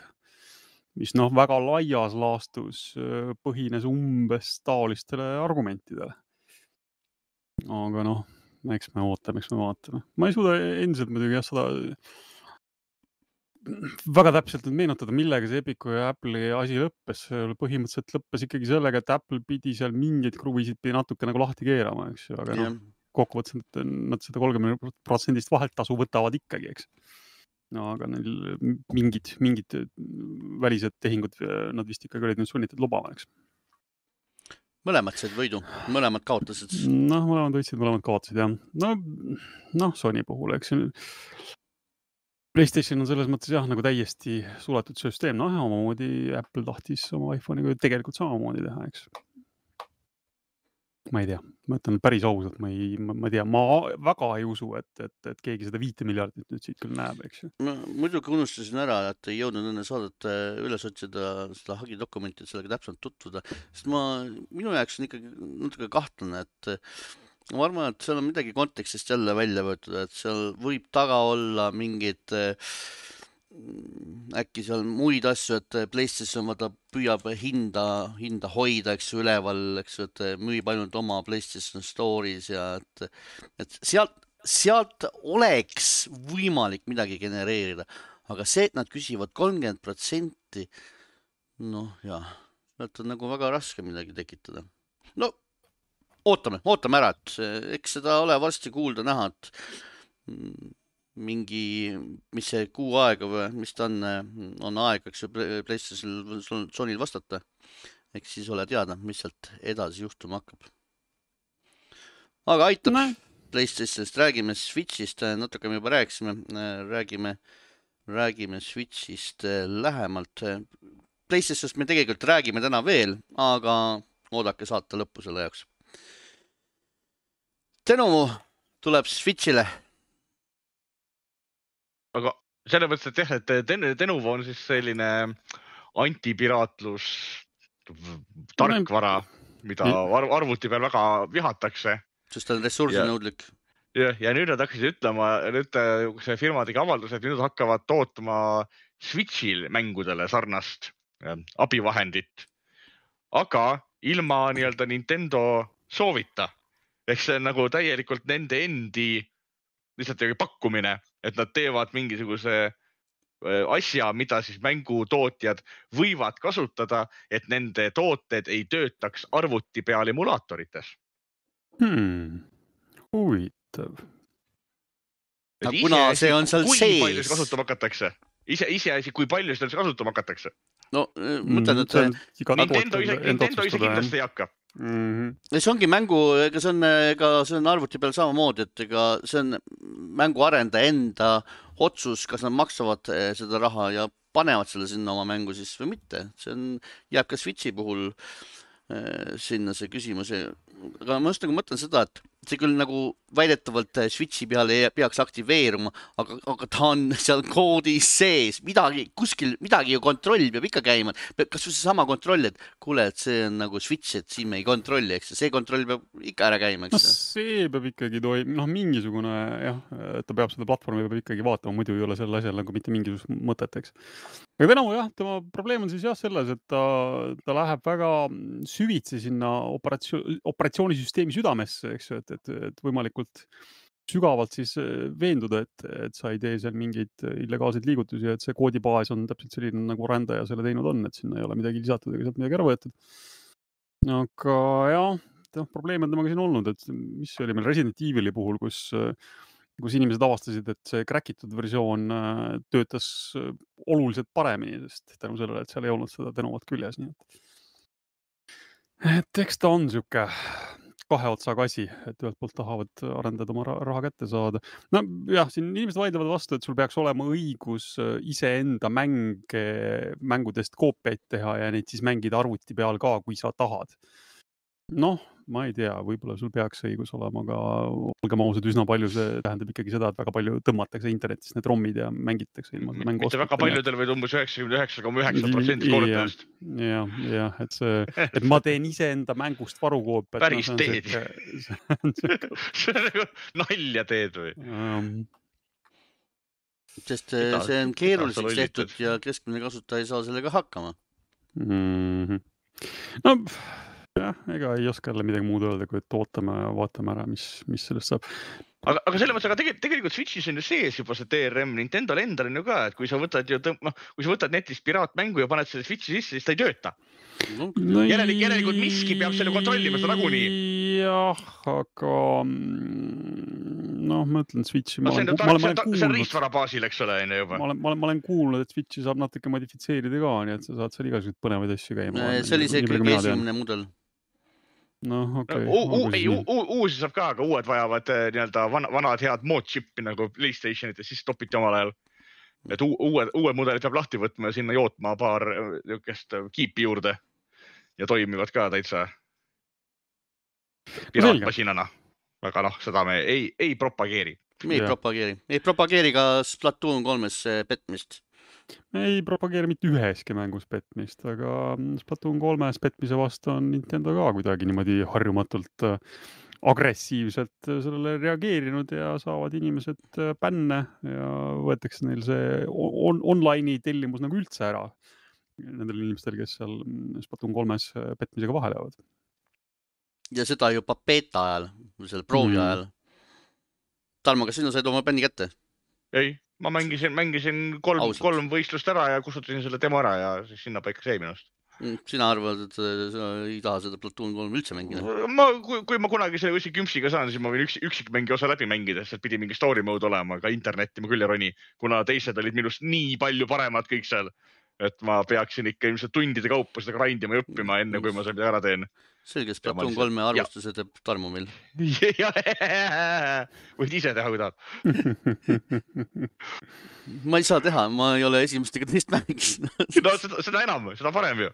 mis väga laias laastus põhines umbes taolistele argumentidele. Aga eks me vaatame. Ma ei suuda endiselt muidugi seda väga täpselt meenutada, millega see Epicu ja Apple'i asi lõppes. Põhimõtteliselt lõppes ikkagi sellega, et Apple pidi seal mingeid kruvisid natuke nagu lahti keerama, eks ju. Aga kokkuvõttes nad seda 30% vaheltasu võtavad ikkagi, eks. Aga neil mingid välised tehingud nad vist ikkagi olid nüüd sunnitud lubama, eks. Mõlemad said võidu, mõlemad kaotasid. Mõlemad võitsid, mõlemad kaotasid, jah. Sony puhul, eks. PlayStation on selles mõttes jah, nagu täiesti suletud süsteem. Omamoodi Apple tahtis oma iPhone'iga tegelikult samamoodi teha, eks. Ma ei tea, ma ütlen päris ausalt, ma väga ei usu, et keegi seda 5 miljardit nüüd siit küll näeb, eks. Ma muidugi unustasin ära, et ei jõudnud enne saadet üles otsida seda hagidokumenti, et sellega täpselt tutvuda. Sest minu jaoks on ikkagi natuke kahtlane, et ma arvan, et seal on midagi kontekstist jälle välja võetud, et seal võib taga olla mingid äkki seal muid asju, et PlayStation vaata püüab hinda hoida, eks ju, üleval, eks ju, et müüb ainult oma PlayStation Store'is ja et sealt oleks võimalik midagi genereerida, aga see, et nad küsivad 30%, noh jah, sealt on nagu väga raske midagi tekitada. No ootame ära, et eks seda ole varsti kuulda näha, et mingi, mis see kuu aega või mis ta on aeg, eks ju, PlayStation Sonyl vastata. Eks siis ole teada, mis sealt edasi juhtuma hakkab. Aga aitab PlayStationist, räägime Switchist, natuke me juba räägime Switchist lähemalt. PlayStationist me tegelikult räägime täna veel, aga oodake saate lõppu selle jaoks. Denovo tuleb Switchile. Aga selle mõttes, et jah, et Denovo on siis selline antipiraatlus tarkvara, mida arvuti peal väga vihatakse. Sest ta on ressursinõudlik. Ja nüüd nad hakkasid ütlema, nüüd see firma tegi avalduse, et nüüd hakkavad tootma Switchil mängudele sarnast abivahendit, aga ilma nii-öelda Nintendo soovita. Ehk see on nagu täielikult nende endi lihtsalt pakkumine, et nad teevad mingisuguse asja, mida siis mängutootjad võivad kasutada, et nende tooted ei töötaks arvuti peal emulaatorites. Huvitav. Kuna see on seal sees. Kui palju see kasutama hakatakse? Iseasi, kui palju seda kasutama hakatakse? No, mõtled, et Nintendo ise kindlasti ei hakka. See ongi ega see on arvuti peal samamoodi, et ega see on mänguarendaja enda otsus, kas nad maksavad seda raha ja panevad selle sinna oma mängu siis või mitte. See jääb ka Switchi puhul sinna see küsimus. Aga ma just nagu mõtlen seda, et see küll nagu väidetavalt Switchi peale ei peaks aktiveeruma, aga ta on seal koodis sees, midagi ju kontroll peab ikka käima. Kas see sama kontroll, et kuule, et see on nagu Switch, et siin me ei kontrolli, eks see kontroll peab ikka ära käima, eks? No see peab ikkagi mingisugune, jah, ta peab seda platvormi peab ikkagi vaatama, muidu ei ole selle asjal nagu mitte mingisugust mõtet, eks. Aga Denovo jah, tema probleem on siis jah selles, et ta läheb väga süvitsi sinna operatsioonisüsteemi südamesse, eks ju, et võimalikult sügavalt siis veenduda, et sa ei tee seal mingeid illegaalseid liigutusi, et see koodibaas on täpselt selline, nagu rändaja selle teinud on, et sinna ei ole midagi lisatud ega sealt midagi ära võetud. Aga jah, probleem on temaga siin olnud, et mis oli meil Resident Evil'i puhul, kus inimesed avastasid, et see crackitud versioon töötas oluliselt paremini, sest tänu sellele, et seal ei olnud seda Denovot küljes. Nii et eks ta on siuke kahe otsaga asi, et ühelt poolt tahavad arendada oma raha kätte saada. No jah, siin inimesed vaidlevad vastu, et sul peaks olema õigus iseenda mängudest koopiaid teha ja neid siis mängida arvuti peal ka, kui sa tahad. Noh, ma ei tea, võib-olla sul peaks õigus olema, aga olgem ausad, üsna palju see tähendab ikkagi seda, et väga palju tõmmatakse internetis need rommid ja mängitakse ilma seda mängu. Mitte väga paljudel või umbes 99,9% korrutest. Jah, et ma teen iseenda mängust varukoopiat. Päris teed. See on nagu nalja teed või? Sest see on keeruliseks tehtud ja keskmine kasutaja ei saa sellega hakkama. No, jah, ega ei oska jälle midagi muud öelda, kui et ootame ja vaatame ära, mis sellest saab. Aga selle mõttes, aga tegelikult Switchis on ju sees juba see DRM, Nintendo endal on ju ka, et kui sa võtad netist piraatmängu ja paned selle Switchi sisse, siis ta ei tööta. Järelikult miski peab selle kontrollima, seda nagunii. Jah, aga ma ütlen Switchi. See on riistvara baasil, eks ole, juba. Ma olen kuulnud, et Switchi saab natuke modifitseerida ka, nii et sa saad seal igasugused põnevaid asju käima. See oli see kõige esimene mudel. No, okay. Uusi saab ka, aga uued vajavad nii-öelda vanad head moodchippi nagu PlayStationit ja siis topiti omal ajal. Et uued mudelid peab lahti võtma ja sinna jootma paar kiipi juurde ja toimivad ka täitsa piraatmasinana. Aga seda me ei propageeri. Me ei propageeri ka Splatoon 3 petmist. Me ei propageeri mitte üheski mängus petmist, aga Splatoon 3 petmise vastu on Nintendo ka kuidagi niimoodi harjumatult agressiivselt sellele reageerinud ja saavad inimesed bänne ja võetakse neil see online'i tellimus nagu üldse ära nendel inimestel, kes seal Splatoon 3-s petmisega vahele jäävad. Ja seda juba beta ajal, selle proovi ajal. Tarmo, kas sina said oma bänni kätte? Ei, ma mängisin kolm võistlust ära ja kustutasin selle demo ära ja siis sinna paika see minust. Sina arvad, et sa ei taha seda Splatoon 3 üldse mängida? Kui ma kunagi selle üksi kümpsiga saan, siis ma võin üksik mängi osa läbi mängida, sest pidi mingi story mode olema, ka internetti ma küll ei roni, kuna teised olid minust nii palju paremad kõik seal, et ma peaksin ikka ilmselt tundide kaupa seda grindima ja õppima enne, kui ma selle ära teen. Selge, Splatoon 3 arvustuse teeb Tarmo meil. Võid ise teha, kui tahad. Ma ei saa teha, ma ei ole esimest ega teist mängiks. No seda enam, seda parem ju.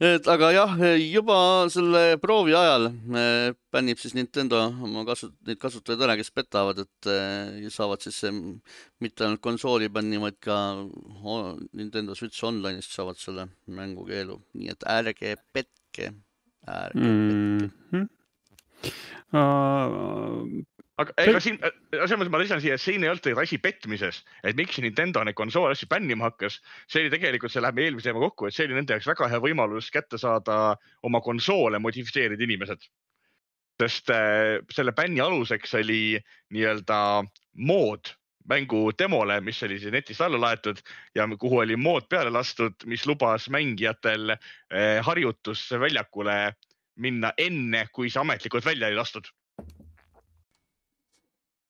Aga jah, juba selle proovi ajal bännib siis Nintendo oma neid kasutajaid ära, kes petavad, et saavad siis mitte ainult konsooli bänni, vaid ka Nintendo Switch Online'ist saavad selle mängukeelu. Nii et ärge petke. Aga ega siin, ma lisan siia, et siin ei olnud asi petmises, et miks Nintendo neid konsoole asju bännima hakkas. See oli tegelikult, see läheb eelmise teema kokku, et see oli nende jaoks väga hea võimalus kätte saada oma konsoole modifitseerida inimesed. Sest selle bänni aluseks oli nii-öelda mood mängu demole, mis oli netist alla laetud ja kuhu oli mood peale lastud, mis lubas mängijatel harjutusse väljakule minna enne, kui see ametlikult välja ei lastud.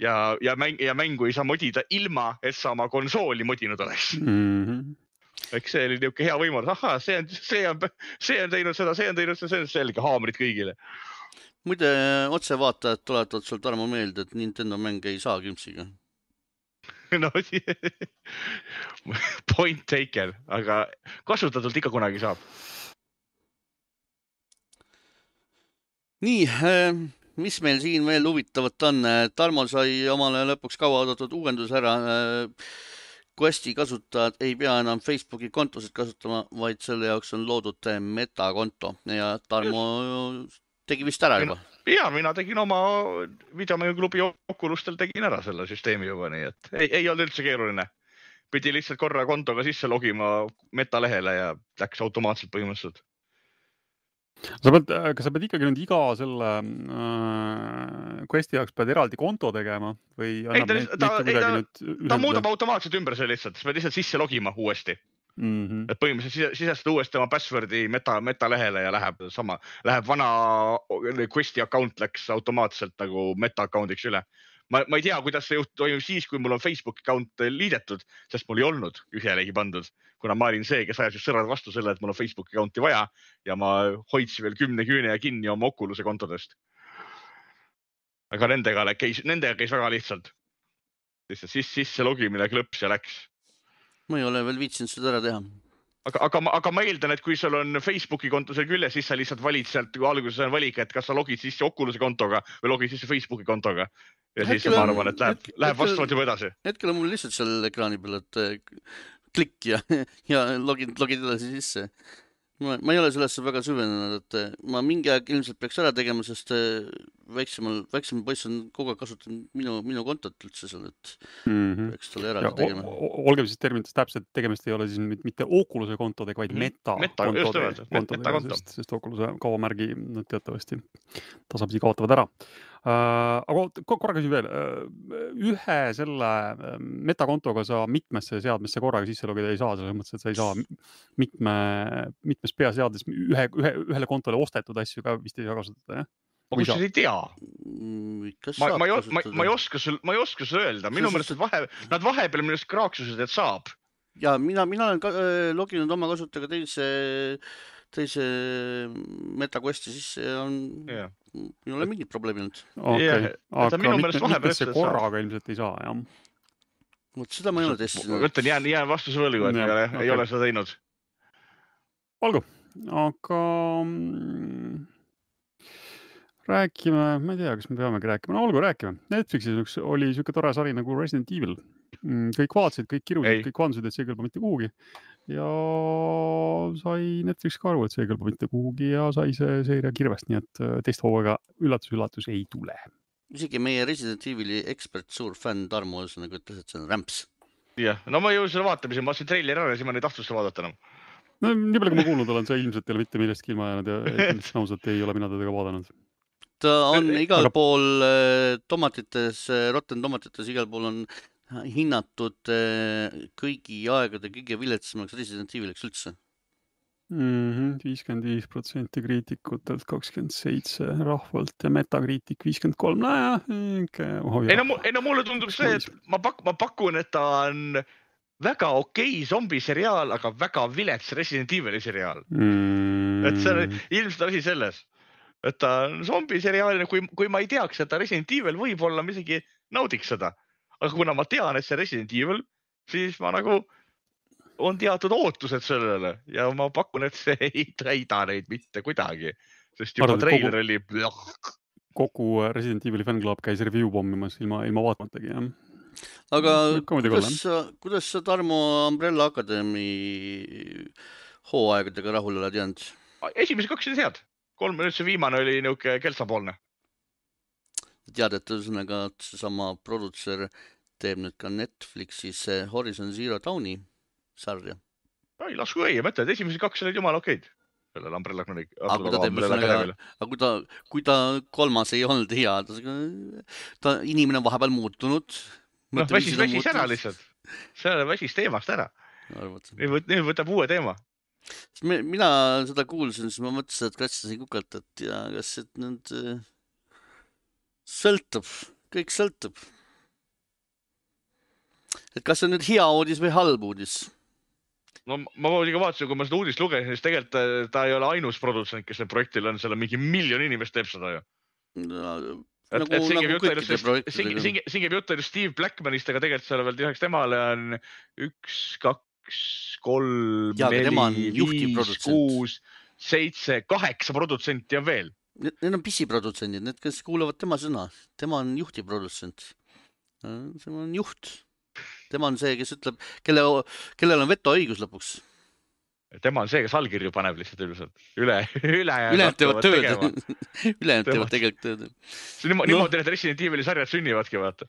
Ja mängu ei saa modida ilma, et sa oma konsooli modinud oleks. Eks see oli niuke hea võimalus. Aha, see on teinud seda, see on teinud seda, see on selge haamrid kõigile. Muide, otsevaatajad tuletavad sul Tarmo meelde, et Nintendo mäng ei saa kümpsiga. No, point taken, aga kasutatult ikka kunagi saab. Nii, mis meil siin veel huvitavat on? Tarmo sai omale lõpuks kaua oodatud uuendus ära. Questi kasutajad ei pea enam Facebooki kontosid kasutama, vaid selle jaoks on loodud metakonto ja Tarmo tegi vist ära juba. Ja, mina tegin oma videomänguklubi Oculustel tegin ära selle süsteemi juba, nii et ei olnud üldse keeruline. Pidi lihtsalt korra kontoga sisse logima metalehele ja läks automaatselt põhimõtteliselt. Kas sa pead ikkagi nüüd iga selle Questi jaoks pead eraldi konto tegema või ta muudab automaatselt ümber see lihtsalt, sa pead lihtsalt sisse logima uuesti. Et põhimõtteliselt sisestada uuesti oma passwordi metalehele ja läheb vana Questi account läks automaatselt nagu meta account'iks üle. Ma ei tea, kuidas see toimub siis, kui mul on Facebook account liidetud, sest mul ei olnud ühelegi pandud, kuna ma olin see, kes ajas just sõrad vastu selle, et mul on Facebook accounti vaja ja ma hoidsin veel 10 küüne ja kinni oma Oculus'e kontodest. Aga nendega käis väga lihtsalt. Sisse logimine klõps ja läks. Ma ei ole veel viitsinud seda ära teha. Aga ma eeldan, et kui sul on Facebooki konto seal küljes, siis sa lihtsalt valid sealt, kui alguses on valik, et kas sa logid sisse Oculus'e kontoga või logid sisse Facebooki kontoga. Ja siis ma arvan, et läheb vastavalt juba edasi. Hetkel on mul lihtsalt seal ekraani peal, et klikk ja logid edasi sisse. Ma ei ole sellesse väga süvenenud, et ma mingi aeg ilmselt peaks ära tegema, sest väiksem poiss on kogu aeg kasutanud minu kontot üldse seal, et peaks talle ära tegema. Olgem siis terminites täpselt, tegemist ei ole siis mitte Oculus'e kontodega, vaid meta-kontodega, sest Oculus'e kaubamärgi teatavasti tasapisi kaotavad ära. Aga korra küsin veel, ühe selle metakontoga sa mitmesse seadmesse korraga sisse logida ei saa, selles mõttes, et sa ei saa mitmes peaseadmes ühele kontole ostetud asju ka vist ei saa kasutada, jah? Ma kusjuures ei tea. Ma ei oska sulle öelda. Minu meelest nad vahepeal minust kraaksused, et saab. Ja mina olen loginud oma kasutajaga teise MetaQuesti sisse ja ei ole mingit probleemi olnud. Aga mitmesse korraga ilmselt ei saa, jah? Vot seda ma ei ole testinud. Võtan, jään vastuse võlgu, et ei ole seda teinud. Olgu, aga rääkime, ma ei tea, kas me peamegi rääkima. No olgu, rääkime. Netflixis oli siuke tore sari nagu Resident Evil. Kõik vaatasid, kõik kirusid, kõik vandusid, et see kõlba mitte kuhugi. ja sai Netflix ka aru, et see ei kõlba mitte kuhugi ja sai see seeria kirvest, nii et teist hooaega üllatus ei tule. Isegi meie Resident Evil'i ekspert, suur fänn Tarmo Õõsõnaga ütles, et see on rämps. Jah, no ma jõudsin seda vaatamise, ma vaatasin treileri ära ja siis ma ei tahtnud seda vaadata enam. No nii palju, kui ma kuulnud olen, see ilmselt ei ole mitte millestki ilma jäänud ja ausalt ei ole mina teda ka vaadanud. Ta on igal pool tomatites, Rotten Tomatites igal pool on hinnatud kõigi aegade kõige viletsamaks Resident Evil'iks üldse. 55% kriitikutelt, 27% rahvalt ja Metacritic 53%. Ei no mulle tundub see, et ma pakun, et ta on väga okei zombiseriaal, aga väga vilets Resident Evil'i seriaal. Et see on ilmselt asi selles, et ta on zombiseriaalina, kui ma ei teaks, et ta Resident Evil võib-olla ma isegi naudiks seda. Aga kuna ma tean, et see Resident Evil, siis ma nagu on teatud ootused sellele ja ma pakun, et see ei täida neid mitte kuidagi, sest juba treiler oli... Kogu Resident Evil'i fännklaab käis review pommimas ilma vaatamatagi, jah. Aga kuidas sa Tarmo Umbrella Academy hooaegadega rahul oled jäänud? Esimese 2 oli head. 3 see viimane oli niuke keltsapoolne. Tead, et ühesõnaga seesama produtser teeb nüüd ka Netflixis Horizon Zero Dawni sarja. Ei, lasku õige, mõtle, et esimese 2 olid jumala okeid. Sellel Umbrella Academy. Aga kui ta 3 ei olnud hea, ta inimene on vahepeal muutunud. No, väsis ära lihtsalt. See väsis teemast ära. Nüüd võtab uue teema. Mina seda kuulsin, siis ma mõtlesin, et katsisin kukalt, et ja kas nüüd sõltub, kõik sõltub. Et kas see nüüd hea uudis või halb uudis? No ma vaatasin, kui ma seda uudist lugesin, siis tegelikult ta ei ole ainus produtsent, kes need projektil on, seal on mingi 1 miljon inimest teeb seda ju. Siin käib jutt Steve Blackmanist, aga tegelikult seal veel lisaks temale on 1, 2, 3, 4, 5, 6, 7, 8 produtsenti on veel. Need on pisiprodutsendid, need, kes kuulavad tema sõna. Tema on juhtiprodutsent. See on juht. Tema on see, kes ütleb, kellel on vetoõigus lõpuks. Tema on see, kes allkirju paneb lihtsalt üldiselt. Ülejäänud teevad tööd. Ülejäänud teevad tegelikult tööd. See on niimoodi, et Resident Evil'i sarjad sünnivadki, vaata.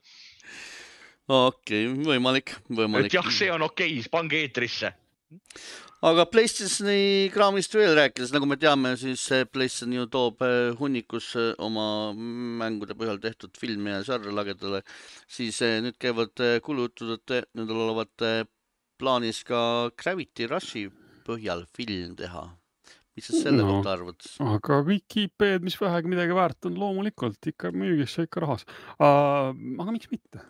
Okei, võimalik. Et jah, see on okei, pange eetrisse. Aga PlayStationi kraamist veel rääkides, nagu me teame, siis PlayStation ju toob hunnikus oma mängude põhjal tehtud filmi ja sarja lagedale, siis nüüd käivad kulutud, et nüüd olevat plaanis ka Gravity Rushi põhjal film teha. Mis sa selle kohta arvad? Aga kõik IP-d, mis vähegi midagi väärt on, loomulikult ikka müügisse ikka rahas. Aga miks mitte?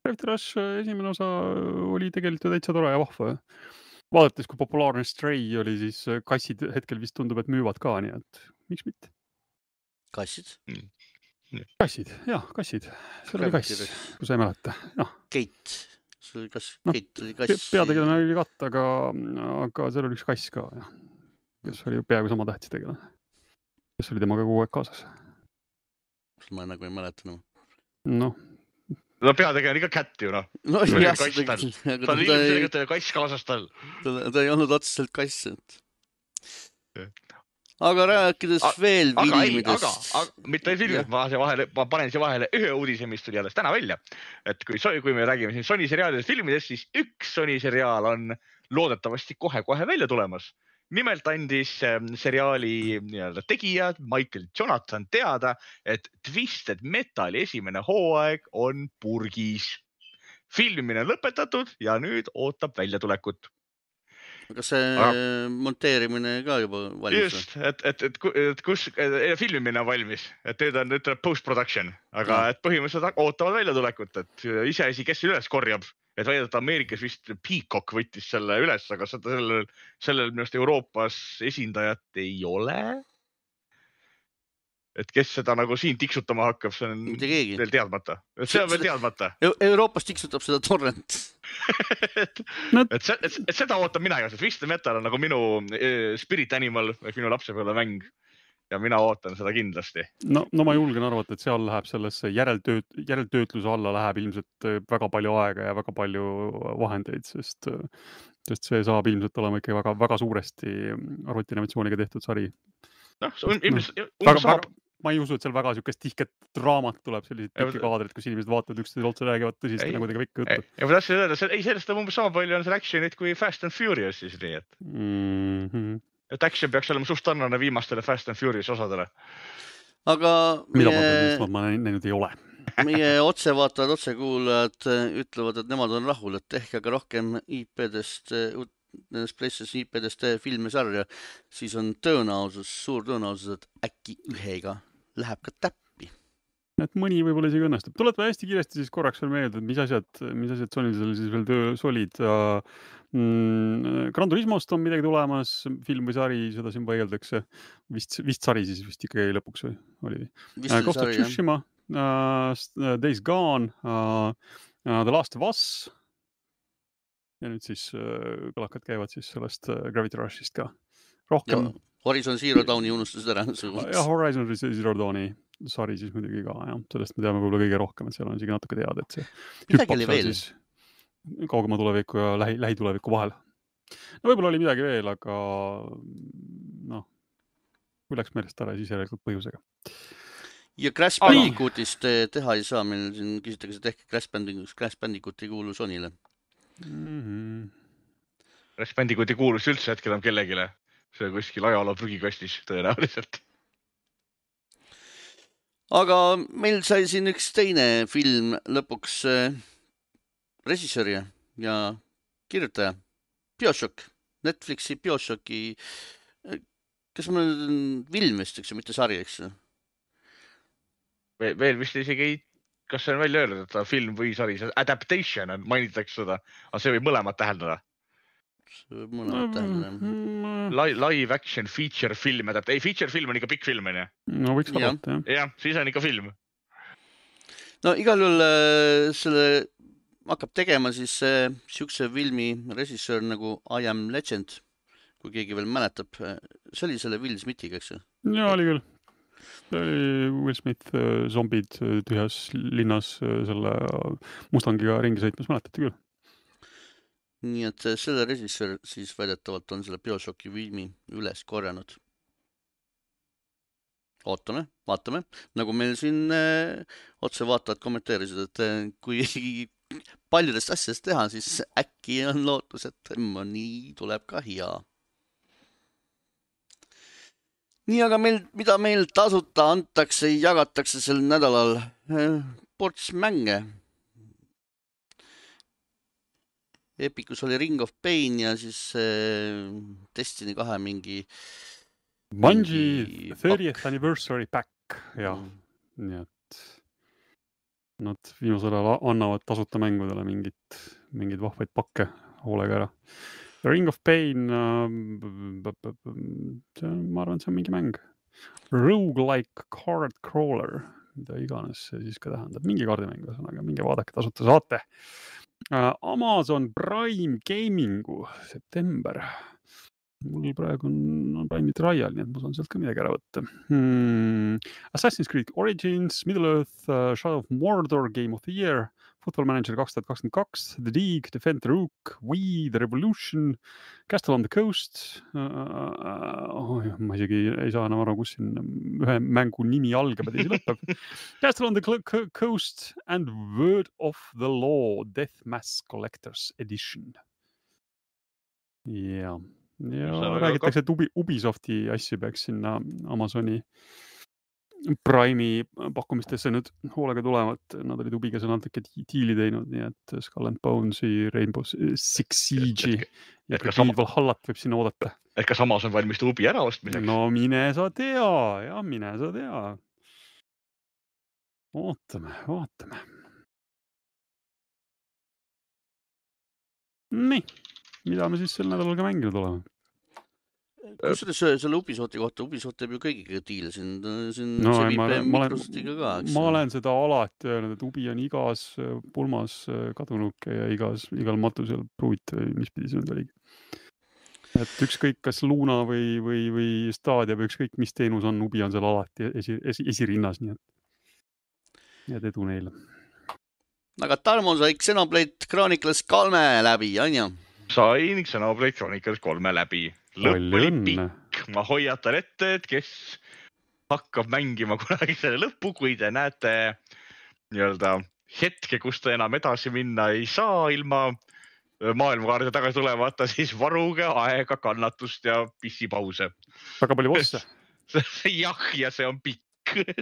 Gravity Rush esimene osa oli tegelikult täitsa tore ja vahva. Vaadates, kui populaarne Stray oli, siis kassid hetkel vist tundub, et müüvad ka, nii et miks mitte? Kassid? Kassid, jah, kassid. See oli kass, kui sa ei mäleta. Keit. See oli Keit oli kass. Peategelane oli katt, aga seal oli üks kass ka, jah. Kes oli peaaegu sama tähtis tegelane. Kes oli temaga kogu aeg kaasas. Ma nagu ei mäleta. No peategelen ikka kätt ju, noh. No jah, ta on ilmselt kass kaasas tal. Ta ei olnud otseselt kass. Aga rääkides veel filmidest. Mitte filmidest, ma panen siia vahele ühe uudise, mis tuli alles täna välja. Et kui me räägime siin Sony seriaalidest filmidest, siis üks Sony seriaal on loodetavasti kohe välja tulemas. Nimelt andis seriaali tegija Michael Jonathan teada, et Twisted Metali esimene hooaeg on purgis. Filmimine on lõpetatud ja nüüd ootab väljatulekut. Kas see monteerimine ka juba valmis? Just, et kus filmimine on valmis, et nüüd on post-production, aga et põhimõtteliselt ootavad väljatulekut, et iseasi, kes üles korjab. Et väidata, Ameerikas vist Peacock võttis selle üles, aga sellel minust Euroopas esindajat ei ole. Et kes seda nagu siin tiksutama hakkab, see on veel teadmata. See on veel teadmata. Euroopas tiksutab seda torrent. et seda ootab mina ka, see Twisted Metal on nagu minu spirit animal, minu lapsepõlve mäng. Ja mina ootan seda kindlasti. No ma julgen arvata, et seal läheb sellesse järeltöötluse alla läheb ilmselt väga palju aega ja väga palju vahendeid, sest sest see saab ilmselt olema ikka väga, väga suuresti arvutianimatsiooniga tehtud sari. Ma ei usu, et seal väga siukest tihket draamat tuleb, sellised pikki kaadrid, kus inimesed vaatavad üksteisele otsa räägivad tõsist ja nagu pikka juttu. Ja ma tahtsin öelda, sellest on umbes sama palju on seal actionit kui Fast and Furious siis nii, et action peaks olema suht sarnane viimastele Fast and Furious osadele. Aga ma näinud ei ole. Meie otsevaatajad, otsekuulajad ütlevad, et nemad on rahul, et ehk aga rohkem IP-dest, nendest PlayStation IP-dest filmi sarja, siis on suur tõenäosus, et äkki ühega läheb ka täppi. Et mõni võib-olla isegi õnnestub. Tuletame hästi kiiresti siis korraks veel meelde, et mis asjad Sonyl siis veel töös olid. Gran Turismost on midagi tulemas, film või sari, seda siin vaieldakse. Vist sari siis vist ikkagi lõpuks või oli? Ghost of Tsushima, Days Gone, The Last of Us. Ja nüüd siis kõlakad käivad siis sellest Gravity Rushist ka rohkem. Horizon Zero Dawni unustasid ära. Ja Horizon Zero Dawni sari siis muidugi ka. Ja. Sellest me teame võib-olla kõige rohkem, et seal on isegi natuke teada, et see hüppab seal siis kaugema tuleviku ja lähituleviku vahel. No võib-olla oli midagi veel, aga kui läks meelest ära, siis järelikult põhjusega. Ja Crash Bandicootist teha ei saa. Meil siin küsitakse, et ehk Crash Bandicoot ei kuulu Sonyle. Crash Bandicoot ei kuulus üldse hetkel on kellegile. See kuskil ajaloo prügikastis tõenäoliselt. Aga meil sai siin üks teine film lõpuks režissööri ja kirjutaja. BioShock. Netflixi BioShocki. Kas meil on film vist, eks ju, mitte sari, eks ju? Veel vist isegi ei... Kas see on välja öelnud, et ta film või sari, adaptation on, mainitakse seda, aga see võib mõlemad täheldada. Live action feature film, feature film on ikka pikk film, on ju? No võiks vaadata, jah. Jah, siis on ikka film. No igal juhul selle hakkab tegema siis siukse filmi režissöör nagu I Am Legend, kui keegi veel mäletab. See oli selle Will Smithiga, eks ju? Ja, oli küll. Will Smith zombid tühjas linnas selle Mustangiga ringi sõitmas, mäletate küll. Nii et selle režissöör siis väidetavalt on selle BioShocki filmi üles korjanud. Vaatame. Nagu meil siin otsevaatajad kommenteerisid, et kui paljudest asjast teha, siis äkki on lootus, et nii tuleb ka hea. Nii, aga mida meil tasuta antakse, jagatakse sel nädalal ports mänge. Epicus oli Ring of Pain ja siis Destiny 2 mingi Bungie 30th Anniversary Pack, jah. Nii et nad viimasel ajal annavad tasuta mängudele mingid vahvaid pakke hoolega ära. Ring of Pain, ma arvan, see on mingi mäng. Roguelike card crawler, mida iganes see siis ka tähendab. Mingi kaardimäng, aga mingi vaadake tasuta saate. Amazon Prime Gamingu september. Mul praegu on Prime trial, nii et ma saan sealt ka midagi ära võtta. Assassin's Creed Origins, Middle-earth, Shadow of Mordor, Game of the Year, Football Manager 2022, The League, Defend the Rook, Wii, The Revolution, Castle on the Coast. Ma isegi ei saa enam aru, kus siin ühe mängu nimi algab ja teisi lõpeb. Castle on the Coast and Word of the Law, Death Mass Collectors Edition. Ja räägitakse, et Ubisofti asju peaks sinna Amazoni Prime'i pakkumistesse nüüd hoolega tulevad. Nad olid Ubiga seal natuke diili teinud, nii et Skull and Bones'i, Rainbow Six Siege'i ja Valhallat võib sinna oodata. Et kas Amazon valmistab Ubi ära ostmiseks? No mine sa tea. Vaatame. Nii, mida me siis sel nädalal ka mänginud oleme? Kusjuures selle Ubisofti kohta, Ubisoft teeb ju kõigiga diile siin see viib Microsoftiga ka. Ma olen seda alati öelnud, et Ubi on igas pulmas kadunuke ja igal matusel pruut, mis pidi see nüüd oligi. Et ükskõik kas Luna või Stadia või ükskõik mis teenus on, Ubi on seal alati esirinnas, nii et edu neile. Aga Tarmo sai Xenoblade Chronicles 3 läbi, on ju? sain Xenoblade Chronicles 3 läbi. Lõpp oli pikk. Ma hoiatan ette, et kes hakkab mängima kunagi selle lõppu, kui te näete nii-öelda hetke, kus ta enam edasi minna ei saa ilma maailmakaarde tagasi tulevata, siis varuge aega, kannatust ja pissipause. Väga palju bosse. Jah, ja see on pikk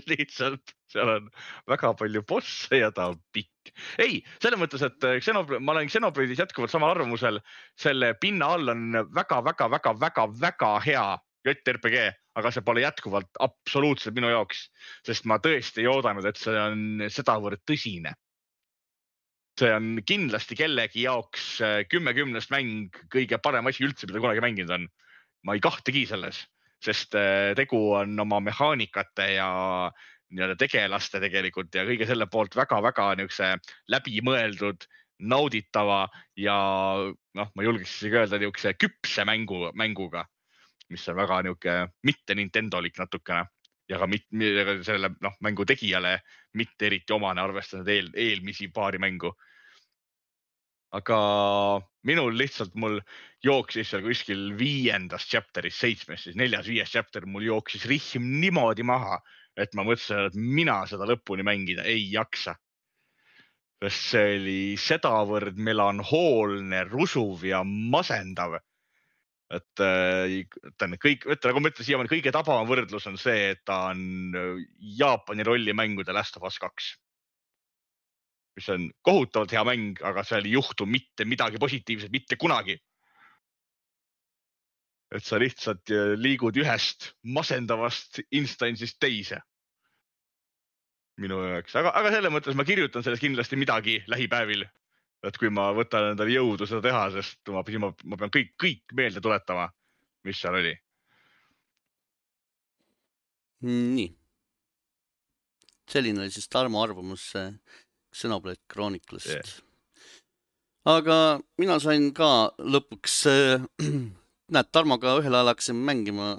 lihtsalt. Seal on väga palju bosse ja ta on pikk. Ei, selles mõttes, et ma olen Xenoblade'is jätkuvalt samal arvamusel. Selle pinna all on väga hea JRPG, aga see pole jätkuvalt absoluutselt minu jaoks, sest ma tõesti ei oodanud, et see on sedavõrd tõsine. See on kindlasti kellegi jaoks 10-10 mäng kõige parem asi üldse, mida kunagi mänginud on. Ma ei kahtegi selles, sest tegu on oma mehaanikate ja tegelaste tegelikult ja kõige selle poolt väga niukse läbimõeldud, nauditava ja ma julgeks öelda niukse küpse mänguga, mis on väga niuke mitte Nintendolik natukene ja ka selle mängu tegijale mitte eriti omane arvestanud eelmisi paari mängu. Aga mul jooksis seal kuskil 5. chapteris, 7, siis 4-5 chapter mul jooksis rihm niimoodi maha, et ma mõtlesin, et mina seda lõpuni mängida ei jaksa. Sest see oli sedavõrd melanhoolne, rusuv ja masendav. Et kõik, nagu ma ütlen siiamaani, kõige tabavam võrdlus on see, et ta on Jaapani rollimängude Last of Us 2. Mis on kohutavalt hea mäng, aga seal ei juhtu mitte midagi positiivset, mitte kunagi. Et sa lihtsalt liigud ühest masendavast instansist teise. Minu jaoks. Aga selle mõttes ma kirjutan sellest kindlasti midagi lähipäevil. Et kui ma võtan endale jõudu seda teha, sest ma pean kõik meelde tuletama, mis seal oli. Nii. Selline oli siis Tarmo arvamus Xenoblade Chronicles'st. Yeah. Aga mina sain ka lõpuks, näed, Tarmoga ühel ajal hakkasin mängima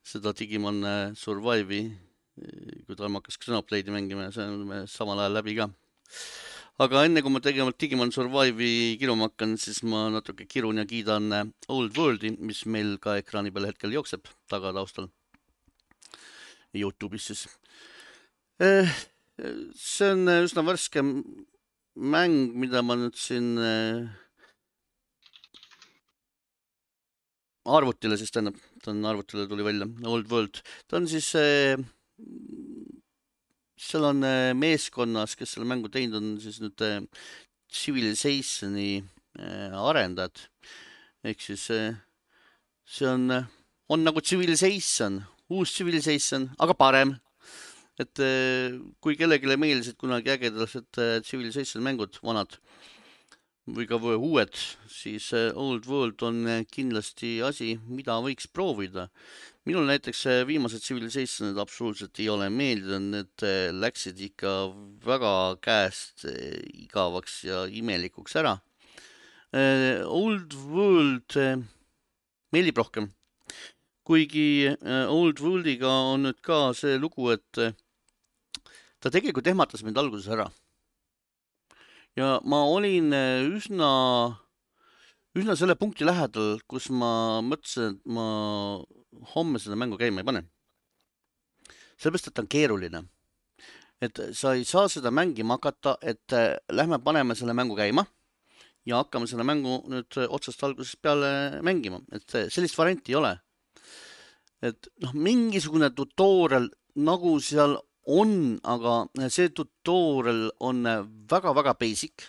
seda Digimon Survive'i, kui Tarmo hakkas Xenoblade'i mängima ja see on samal ajal läbi ka. Aga enne kui ma tegema Digimon Survive'i kiruma hakkan, siis ma natuke kirun ja kiidan Old World'i, mis meil ka ekraani peal hetkel jookseb taga taustal. YouTube'is siis. See on üsna värske mäng, mida ma nüüd siin arvutile siis tähendab, ta on arvutile tuli välja, Old World. Ta on siis, seal on meeskonnas, kes selle mängu teinud on siis nüüd Civilizationi arendajad. Ehk siis see on nagu Civilization, uus Civilization, aga parem. Et kui kellegile meeldisid kunagi ägedased Civilization mängud, vanad või ka uued, siis Old World on kindlasti asi, mida võiks proovida. Minul näiteks viimased Civilizationid absoluutselt ei ole meeldinud, need läksid ikka väga käest igavaks ja imelikuks ära. Old World meeldib rohkem. Kuigi Old Worldiga on nüüd ka see lugu, et ta tegelikult ehmatas mind alguses ära. Ja ma olin üsna selle punkti lähedal, kus ma mõtlesin, et ma homme seda mängu käima ei pane. Sellepärast, et ta on keeruline. Et sa ei saa seda mängima hakata, et lähme paneme selle mängu käima ja hakkame selle mängu nüüd otsast algusest peale mängima. Et sellist varianti ei ole. Et mingisugune tutorial nagu seal on, aga see tutorial on väga basic.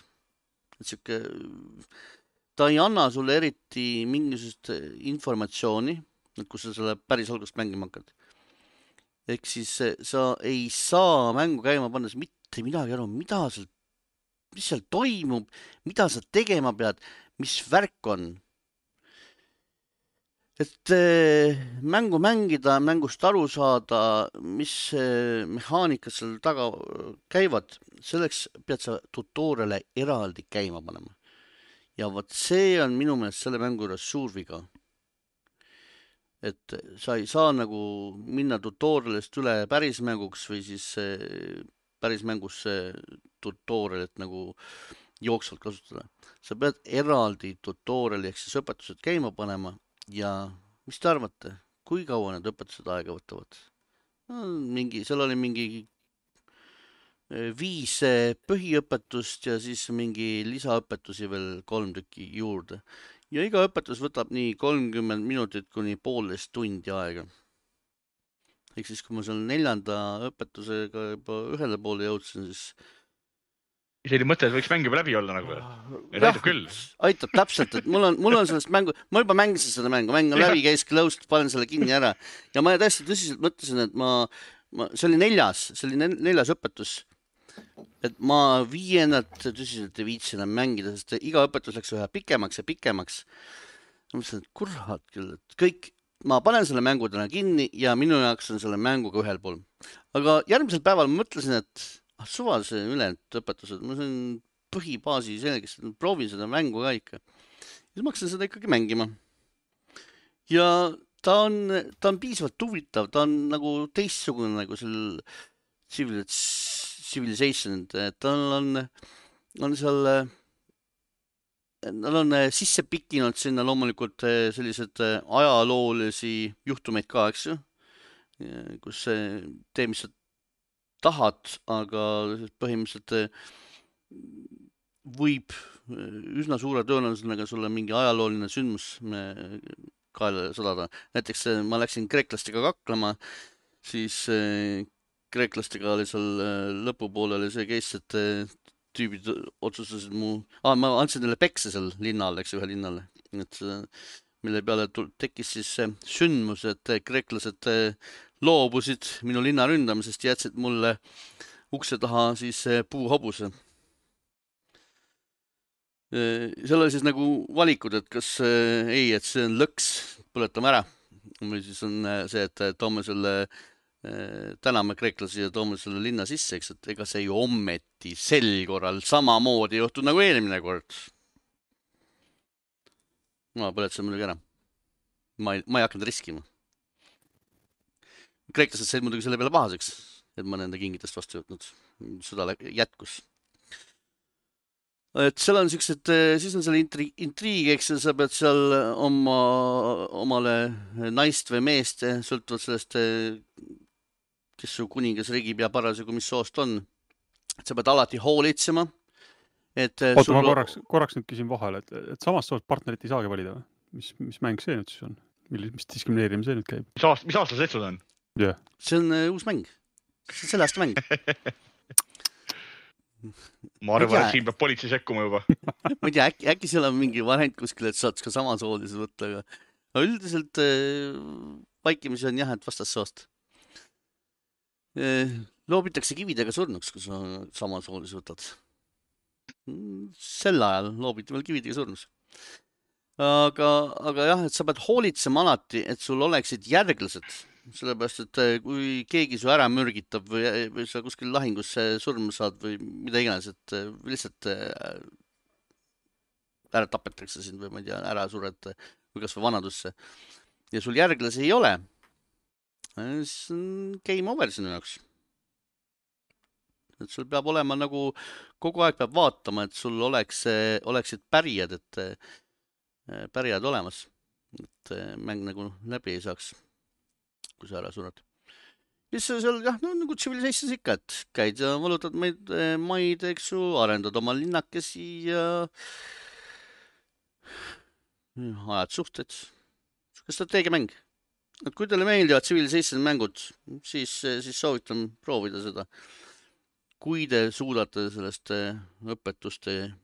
Ta ei anna sulle eriti mingisugust informatsiooni, kus sa selle päris algust mängima hakkad. Ehk siis sa ei saa mängu käima pannes mitte midagi aru, mis seal toimub, mida sa tegema pead, mis värk on. Et mängu mängida, mängust aru saada, mis mehaanikad seal taga käivad, selleks pead sa tutoriale eraldi käima panema. Ja võt see on minu meelest selle mängu juures suur viga. Et sa ei saa nagu minna tutorialist üle päris mänguks või siis päris mängus tutorialit nagu jooksvalt kasutada. Sa pead eraldi tutoriali ehk siis õpetused käima panema ja mis te arvate, kui kaua need õpetused aega võtavad? Seal oli mingi 5 põhiõpetust ja siis mingi lisaõpetusi veel 3 tükki juurde. Ja iga õpetus võtab nii 30 minutit kuni 1,5 tundi aega. Ehk siis, kui ma seal 4. õpetusega juba ühele poole jõudsin, siis ise oli mõte, et võiks mäng juba läbi olla nagu. Aitab küll. Aitab täpselt, et mul on sellest mängu, ma juba mängisin seda mängu, mäng on läbi, käis closed, panen selle kinni ära. Ja ma täiesti tõsiselt mõtlesin, et see oli 4. õpetus. Et ma 5. tõsiselt ei viitsi enam mängida, sest iga õpetus läks ühe pikemaks ja pikemaks. Ma mõtlesin, et kurat küll, et kõik, ma panen selle mängu täna kinni ja minu jaoks on selle mänguga ühel pool. Aga järgmisel päeval ma mõtlesin, et suvalise ülejäänud õpetused, ma sain põhibaasi selgeks, et proovin seda mängu ka ikka. Ja ma hakkasin seda ikkagi mängima. Ja ta on piisavalt huvitav, ta on nagu teistsugune nagu seal Civilization, et tal on seal, nad on sisse pikinud sinna loomulikult sellised ajaloolisi juhtumeid ka, eks ju, kus tee, mis sa tahad, aga põhimõtteliselt võib üsna suure tõenäosusega sulle mingi ajalooline sündmus kaela sadada. Näiteks ma läksin kreeklastega kaklema, siis kreeklastega oli seal lõpupooleli see case, et tüübid otsustasid ma andsin neile pekse seal linnal, eks ühe linnale, et mille peale tekkis siis sündmus, et kreeklased loobusid minu linna ründamisest ja jätsid mulle ukse taha siis puuhobuse. Seal oli siis nagu valikud, et kas et see on lõks, põletame ära, või siis on see, et toome selle täname kreeklasi ja toome selle linna sisse, eks, et ega see ju ommeti sel korral samamoodi juhtud nagu eelmine kord. Ma põletasin muidugi ära. Ma ei hakanud riskima. Kreeklased said muidugi selle peale pahaseks, et ma nende kingitest vastu võtnud. Sõda jätkus. Et seal on siuksed, siis on seal intriig, eks sa pead seal omale naist või meest, sõltuvalt sellest, kes su kuningas regib ja parasjagu mis soost on. Et sa pead alati hoolitsema. Oota, ma korraks nüüd küsin vahele, et samast soost partnerit ei saagi valida või? Mis mäng see nüüd siis on? Mis diskrimineerimine see nüüd käib? Mis aasta see on? Yeah. See on uus mäng. See on selle aasta mäng. Ma arvan, et siin peab politsei sekkuma juba. Ma ei tea, äkki seal on mingi variant kuskil, et saad ka samasoolise võtta, aga üldiselt vaikimisi on jah, et vastassoost. Loobitakse kividega surnuks, kui sa samasoolise võtad. Sel ajal loobiti veel kividega surnuks. Aga jah, et sa pead hoolitsema alati, et sul oleksid järglased. Sellepärast, et kui keegi su ära mürgitab või sa kuskil lahingusse surma saad või mida iganes, et lihtsalt ära tapetakse sind või ma ei tea, ära sured või kas või vanadusse ja sul järglasi ei ole, siis on game over sinu jaoks. Et sul peab olema nagu, kogu aeg peab vaatama, et sul oleksid pärijad, et pärijad olemas, et mäng nagu läbi ei saaks, kui sa ära sured. Ja siis seal, jah, no nagu Civilizations ikka, et käid ja valutad maid, eks ju, arendad oma linnakesi ja ajad suhted. Kas strateegiamäng? Et kui teile meeldivad Civilization mängud, siis soovitan proovida seda. Kui te suudate sellest õpetuste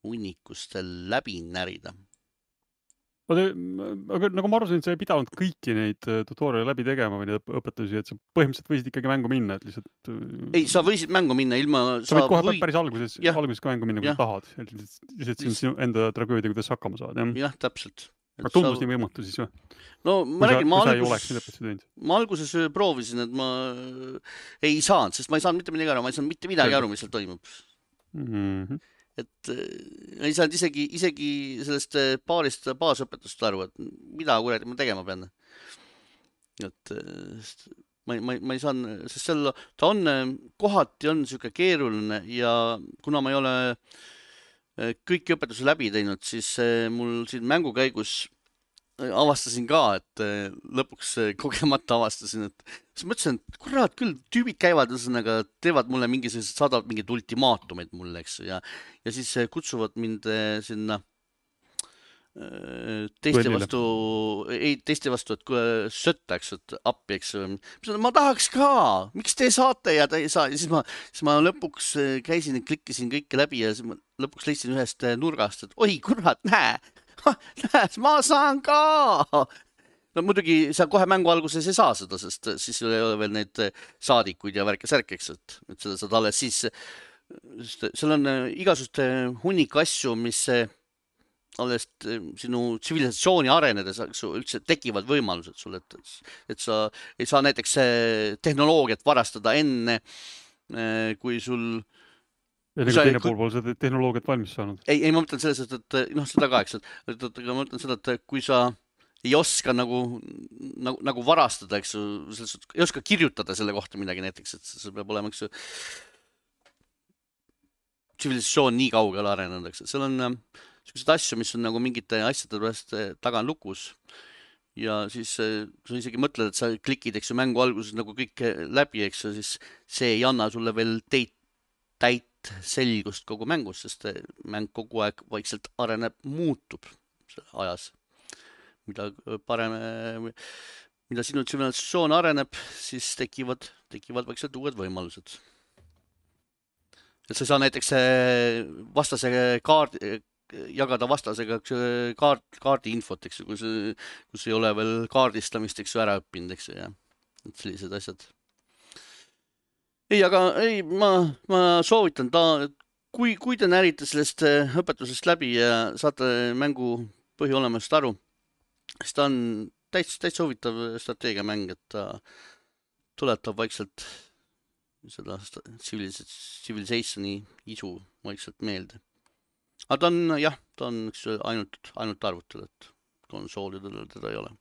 hunnikust läbi närida. Aga nagu ma arvasin, et sa ei pidanud kõiki neid tutoriale läbi tegema või neid õpetusi, et sa põhimõtteliselt võisid ikkagi mängu minna, et lihtsalt... Ei, sa võisid mängu minna ilma... Sa võid kohe päris alguses ka mängu minna, kui sa tahad. Lihtsalt sinu enda tragöödia, kuidas hakkama saad. Jah, täpselt. Aga tundus nii võimatu siis või? No ma räägin, ma alguses proovisin, et ma ei saanud, sest ma ei saanud mitte midagi aru, ma ei saanud mitte midagi aru, mis seal toimub. Et ei saanud isegi sellest paarist baasõpetust aru, et mida kuradi ma tegema pean. Et ma ei saanud, sest seal ta on, kohati on siuke keeruline ja kuna ma ei ole kõiki õpetuse läbi teinud, siis mul siin mängu käigus avastasin ka, et lõpuks kogemata avastasin, et siis mõtlesin, et kurat küll, tüübid käivad, ühesõnaga teevad mulle mingisugused, saadavad mingid ultimaatumeid mulle, eks, ja siis kutsuvad mind sinna teiste vastu, et sötta, eks, et appi, eks. Ma tahaks ka, miks te saate ja te ei saa. Ja siis ma lõpuks käisin ja klikkisin kõike läbi ja siis ma lõpuks leidsin ühest nurgast, et oi, kurat, näe, ma saan ka. No muidugi sa kohe mängu alguses ei saa seda, sest siis ei ole veel neid saadikuid ja värke-särke, eks, et seda saad alles siis. Seal on igasuguste hunnik asju, mis alles sinu tsivilisatsiooni arenedes üldse tekivad võimalused sulle, et sa ei saa näiteks tehnoloogiat varastada enne, kui sul... Ja nagu teine pool seda tehnoloogiat valmis saanud. Ei, ma mõtlen selles, et noh, seda ka, eks, et ma mõtlen seda, et kui sa ei oska nagu varastada, eks, ei oska kirjutada selle kohta midagi näiteks, et see peab olema, eks, tsivilisatsioon nii kaugele arenenud, eks, seal on sellised asju, mis on nagu mingite asjade pärast taga on lukus ja siis sa isegi mõtled, et sa klikid, eks ju, mängu alguses nagu kõik läbi, eks ju, siis see ei anna sulle veel täit selgust kogu mängus, sest mäng kogu aeg vaikselt areneb, muutub ajas. Mida sinu tsivilisatsioon areneb, siis tekivad vaikselt uued võimalused. Et sa ei saa näiteks vastase jagada vastasega kaardi infot, eks ju, kus ei ole veel kaardistamist, eks ju, ära õppinud, eks ju, ja sellised asjad. Ei, aga ma soovitan kui te närite sellest õpetusest läbi ja saate mängu põhiolemast aru, siis ta on täitsa huvitav strateegiamäng, et ta tuletab vaikselt seda civilizationi isu vaikselt meelde. Aga ta on ainult arvutel, et konsoolidel teda ei ole.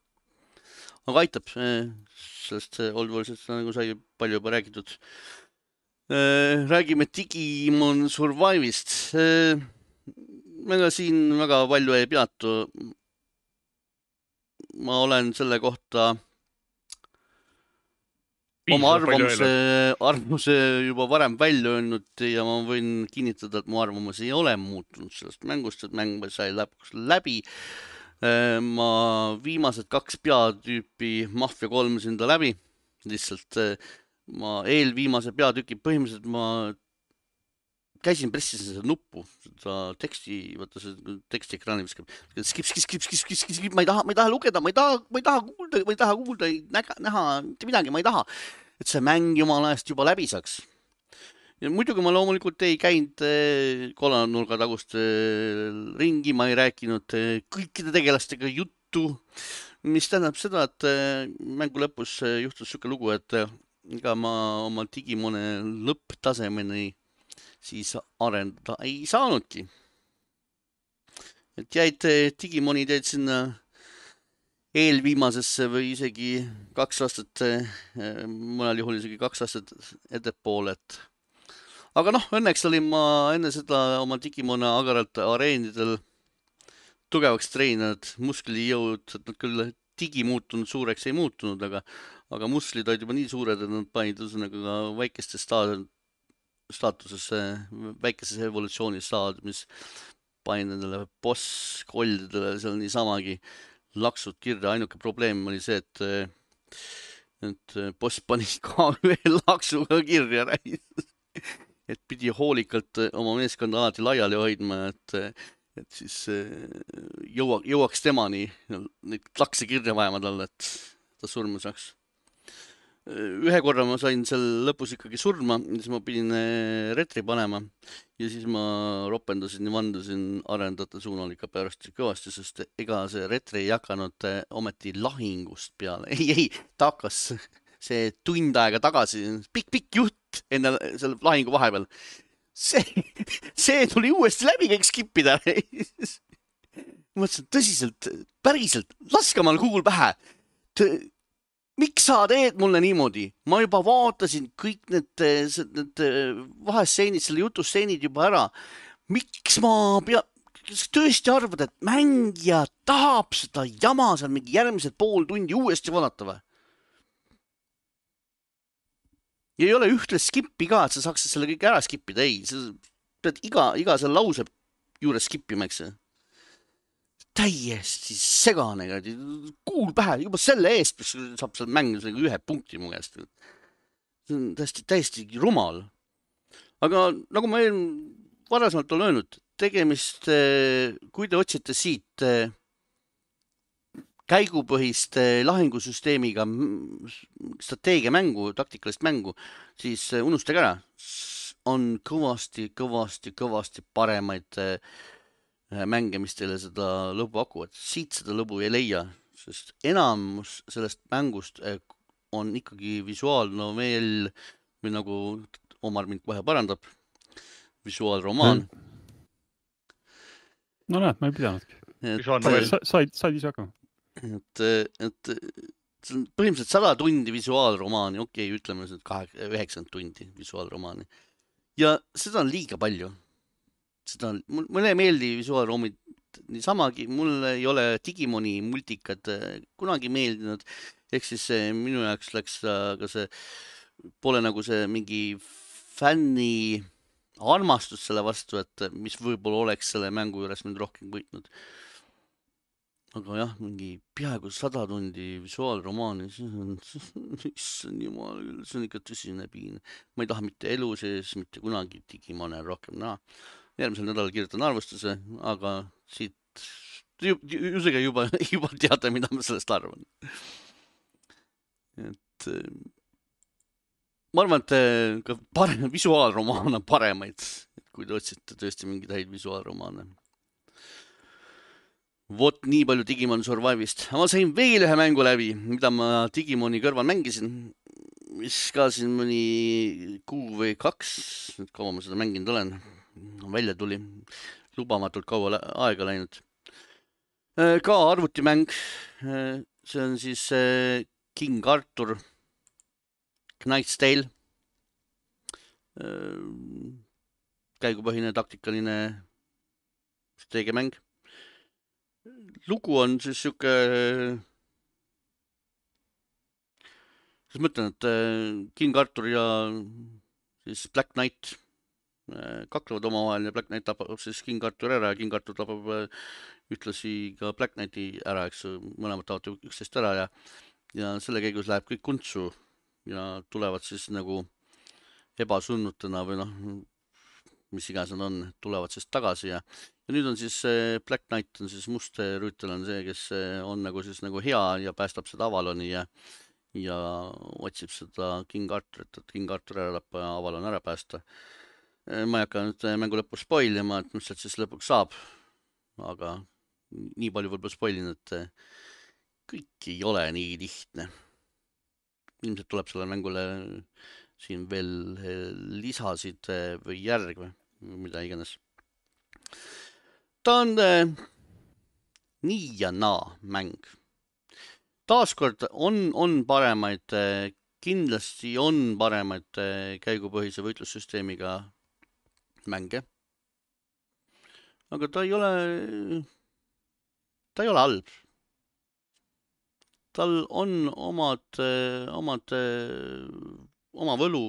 Aga aitab sellest Oldworldsest, nagu sai palju juba räägitud. Räägime Digimon Survive'ist. Ega siin väga palju ei peatu. Ma olen selle kohta oma arvamuse juba varem välja öelnud ja ma võin kinnitada, et mu arvamus ei ole muutunud sellest mängust, et mäng sai läbi. Ma viimased 2 peatüüpi Mafia 3 sinda läbi. Lihtsalt ma eelviimase peatüki põhimõtteliselt ma käisin pressisin seda nuppu, seda teksti, vaata see teksti ekraani viskab. Skip, ma ei taha lugeda, ma ei taha kuulda, näha midagi, ma ei taha. Et see mäng jumala eest juba läbi saaks. Ja muidugi ma loomulikult ei käinud kolmnurga tagust ringi, ma ei rääkinud kõikide tegelastega juttu, mis tähendab seda, et mängu lõpus juhtus siuke lugu, et ega ma oma Digimone lõpptasemeni siis arendada ei saanudki. Et jäid Digimonid jäid sinna eelviimasesse või isegi 2 aastat, mõnel juhul isegi 2 aastat ettepoole. Aga noh, õnneks olin ma enne seda oma Digimone agaralt areenidel tugevaks treeninud, musklijõud, et nad küll digi muutunud suureks ei muutunud, aga muslid olid juba nii suured, et nad panid ka väikestes staatusesse, väikeses evolutsiooni staad, mis panin nendele boss-koldidele seal niisamagi laksud kirja. Ainuke probleem oli see, et boss pani ka veel laksuga kirja. Et pidi hoolikalt oma meeskonda alati laiali hoidma, et siis jõuaks temani neid lakse kirja vajama talle, et ta surma saaks. Ühe korra ma sain seal lõpus ikkagi surma, siis ma pidin retri panema ja siis ma ropendasin ja vandasin arendajate suunal ikka pärast kõvasti, sest ega see retri ei hakanud ometi lahingust peale. Ei, ta hakkas see tund aega tagasi, pikk jutt enne selle lahingu vahepeal. See tuli uuesti läbi kõik skipida. Mõtlesin tõsiselt, päriselt, laske mal kuul pähe. Miks sa teed mulle niimoodi? Ma juba vaatasin kõik need vahestseenid, selle jutustseenid juba ära. miks ma kas tõesti arvad, et mängija tahab seda jama seal mingi järgmised pool tundi uuesti vaadata või? Ja ei ole ühtle skippi ka, et sa saaksid selle kõik ära skippida. Ei, sa pead iga selle lause juures skippima, eks. Täiesti segane, kuul pähe, juba selle eest, mis saab seal mängida ühe punkti mu käest. See on täiesti rumal. Aga nagu ma varasemalt olen öelnud, tegemist, kui te otsite siit käigupõhist lahingusüsteemiga strateegiamängu, taktikalist mängu, siis unustage ära. On kõvasti paremaid mänge, mis teile seda lõbu pakuvad. Siit seda lõbu ei leia, sest enamus sellest mängust on ikkagi visuaalnovell või nagu Omar mind kohe parandab, visuaalromaan. No näed, ma ei pidanudki. Said ise hakkama. Et põhimõtteliselt 100 tundi visuaalromaani, okei, ütleme 90 tundi visuaalromaani. Ja seda on liiga palju. Mulle ei meeldi visuaalroomid niisamagi, mul ei ole Digimoni multikad kunagi meeldinud, ehk siis minu jaoks läks ka see, pole nagu see mingi fänni armastus selle vastu, et mis võib-olla oleks selle mängu juures mind rohkem võitnud. Aga jah, mingi peaaegu 100 tundi visuaalromaani, see on jumal küll, see on ikka tõsine piin. Ma ei taha mitte elu sees, mitte kunagi Digimone rohkem näha. Järgmisel nädalal kirjutan arvustuse, aga siit juba teada, mida ma sellest arvan. Et ma arvan, et ka visuaalromaan on paremaid, kui te otsite tõesti mingeid häid visuaalromaane. Vot nii palju Digimon Survive'ist. Ma sain veel ühe mängu läbi, mida ma Digimoni kõrval mängisin, mis ka siin mõni kuu või 2, kaua ma seda mänginud olen, välja tuli, lubamatult kaua aega läinud. Ka arvutimäng, see on siis King Arthur Knight's Tale, käigupõhine taktikaline strateegiamäng. Lugu on siis siuke, siis mõtlen, et King Arthur ja siis Black Knight kaklevad omavahel ja Black Knight tapab siis King Arthur ära ja King Arthur tapab ühtlasi ka Black Knighti ära, eks mõlemad taovad üksteist ära ja selle käigus läheb kõik kuntsu ja tulevad siis nagu ebasunnutena või mis iganes nad on, tulevad siis tagasi ja nüüd on siis Black Knight on siis must rüütel on see, kes on nagu hea ja päästab seda Avaloni ja otsib seda King Arthurit, et King Arthur ära lappa ja Avalon ära päästa. Ma ei hakka nüüd mängu lõppu spoilima, et mis sealt siis lõpuks saab, aga nii palju võib-olla spoilin, et kõik ei ole nii lihtne. Ilmselt tuleb selle mängule siin veel lisasid või järg või mida iganes. Ta on nii ja naa mäng. Taaskord on paremaid, kindlasti on paremaid käigupõhise võitlussüsteemiga mänge. Aga ta ei ole halb. Tal on oma võlu.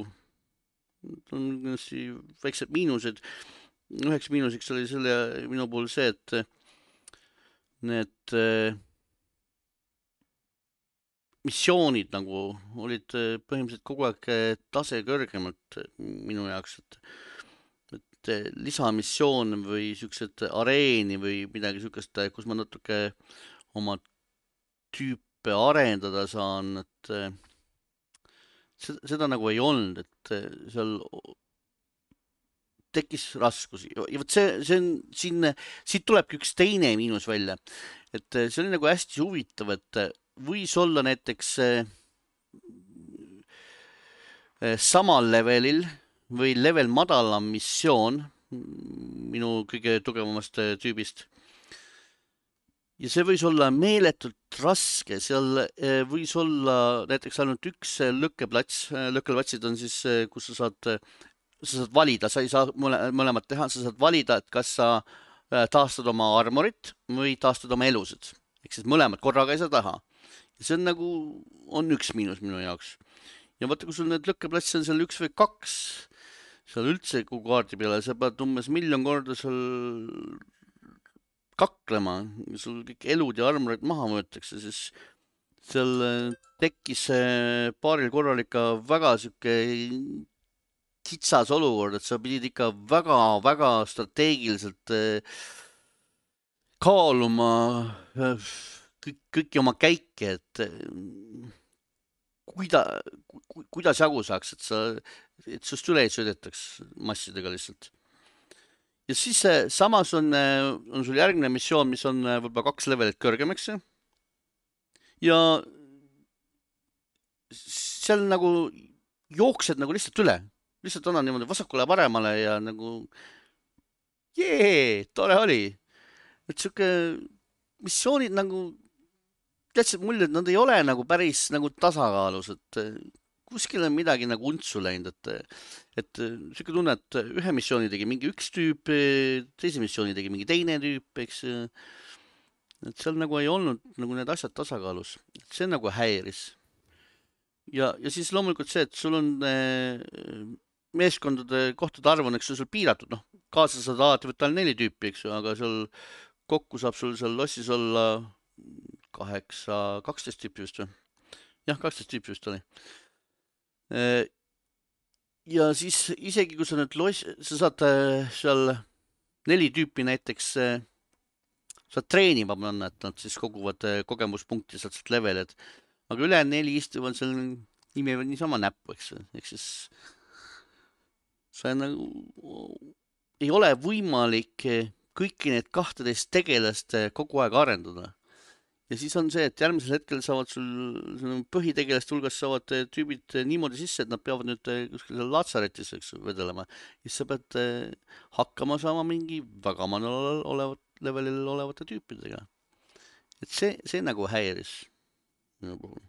Ta on kindlasti väiksed miinused. Üheks miinuseks oli selle minu puhul see, et need missioonid nagu olid põhimõtteliselt kogu aeg tase kõrgemalt minu jaoks, et lisamissioon või siuksed areeni või midagi siukest, kus ma natuke oma tüüpe arendada saan, et seda nagu ei olnud, et seal tekkis raskusi. Ja võt see on siin, siit tulebki üks teine miinus välja. Et see oli nagu hästi huvitav, et võis olla näiteks samal levelil või level madalam missioon minu kõige tugevamast tüübist. Ja see võis olla meeletult raske. Seal võis olla näiteks ainult üks lõkkeplats. Lõkkelplatsid on siis, kus sa saad sa saad valida, sa ei saa mõlemat teha, sa saad valida, et kas sa taastad oma armorit või taastad oma elusid. Ehk siis mõlemad korraga ei saa taha. Ja see on nagu, on üks miinus minu jaoks. Ja vaata, kui sul need lõkkeplatsi on seal 1 või 2, seal üldse kogu kaardi peale, sa pead umbes 1 000 000 korda seal kaklema, sul kõik elud ja armorid maha võetakse, siis seal tekkis paaril korral ikka väga siuke kitsas olukord, et sa pidid ikka väga strateegiliselt kaaluma kõiki oma käike, et kuidas jagu saaks, et sust üle ei sõidetaks massidega lihtsalt. Ja siis samas on sul järgmine missioon, mis on võib-olla 2 levelit kõrgem, eks see? Ja seal nagu jooksed nagu lihtsalt üle. Lihtsalt annan niimoodi vasakule paremale ja nagu tore oli. Et siuke missioonid nagu täitsa mulje, et nad ei ole nagu päris nagu tasakaalus, et kuskil on midagi nagu untsu läinud, et siuke tunne, et ühe missiooni tegi mingi üks tüüp, teise missiooni tegi mingi teine tüüp, eks. Et seal nagu ei olnud nagu need asjad tasakaalus. See nagu häiris. Ja siis loomulikult see, et sul on meeskondade kohtade arv on, eks sul piiratud, noh, kaasa saad alati võtta 4 tüüpi, eks ju, aga seal kokku saab sul seal lossis olla 12 tüüpi vist või? Jah, 12 tüüpi vist oli. Ja siis isegi kui sa nüüd sa saad seal 4 tüüpi näiteks saad treenima panna, et nad siis koguvad kogemuspunkti sealt leveled, aga üle 4 istuvad seal imevad niisama näppu, eks. Ehk siis sa nagu ei ole võimalik kõiki need 12 tegelast kogu aeg arendada. Ja siis on see, et järgmisel hetkel saavad sul põhitegelast hulgas saavad tüübid niimoodi sisse, et nad peavad nüüd kuskil latsaretis vedelema. Ja siis sa pead hakkama saama mingi väga manal levelil olevate tüüpidega. Et see nagu häiris minu puhul.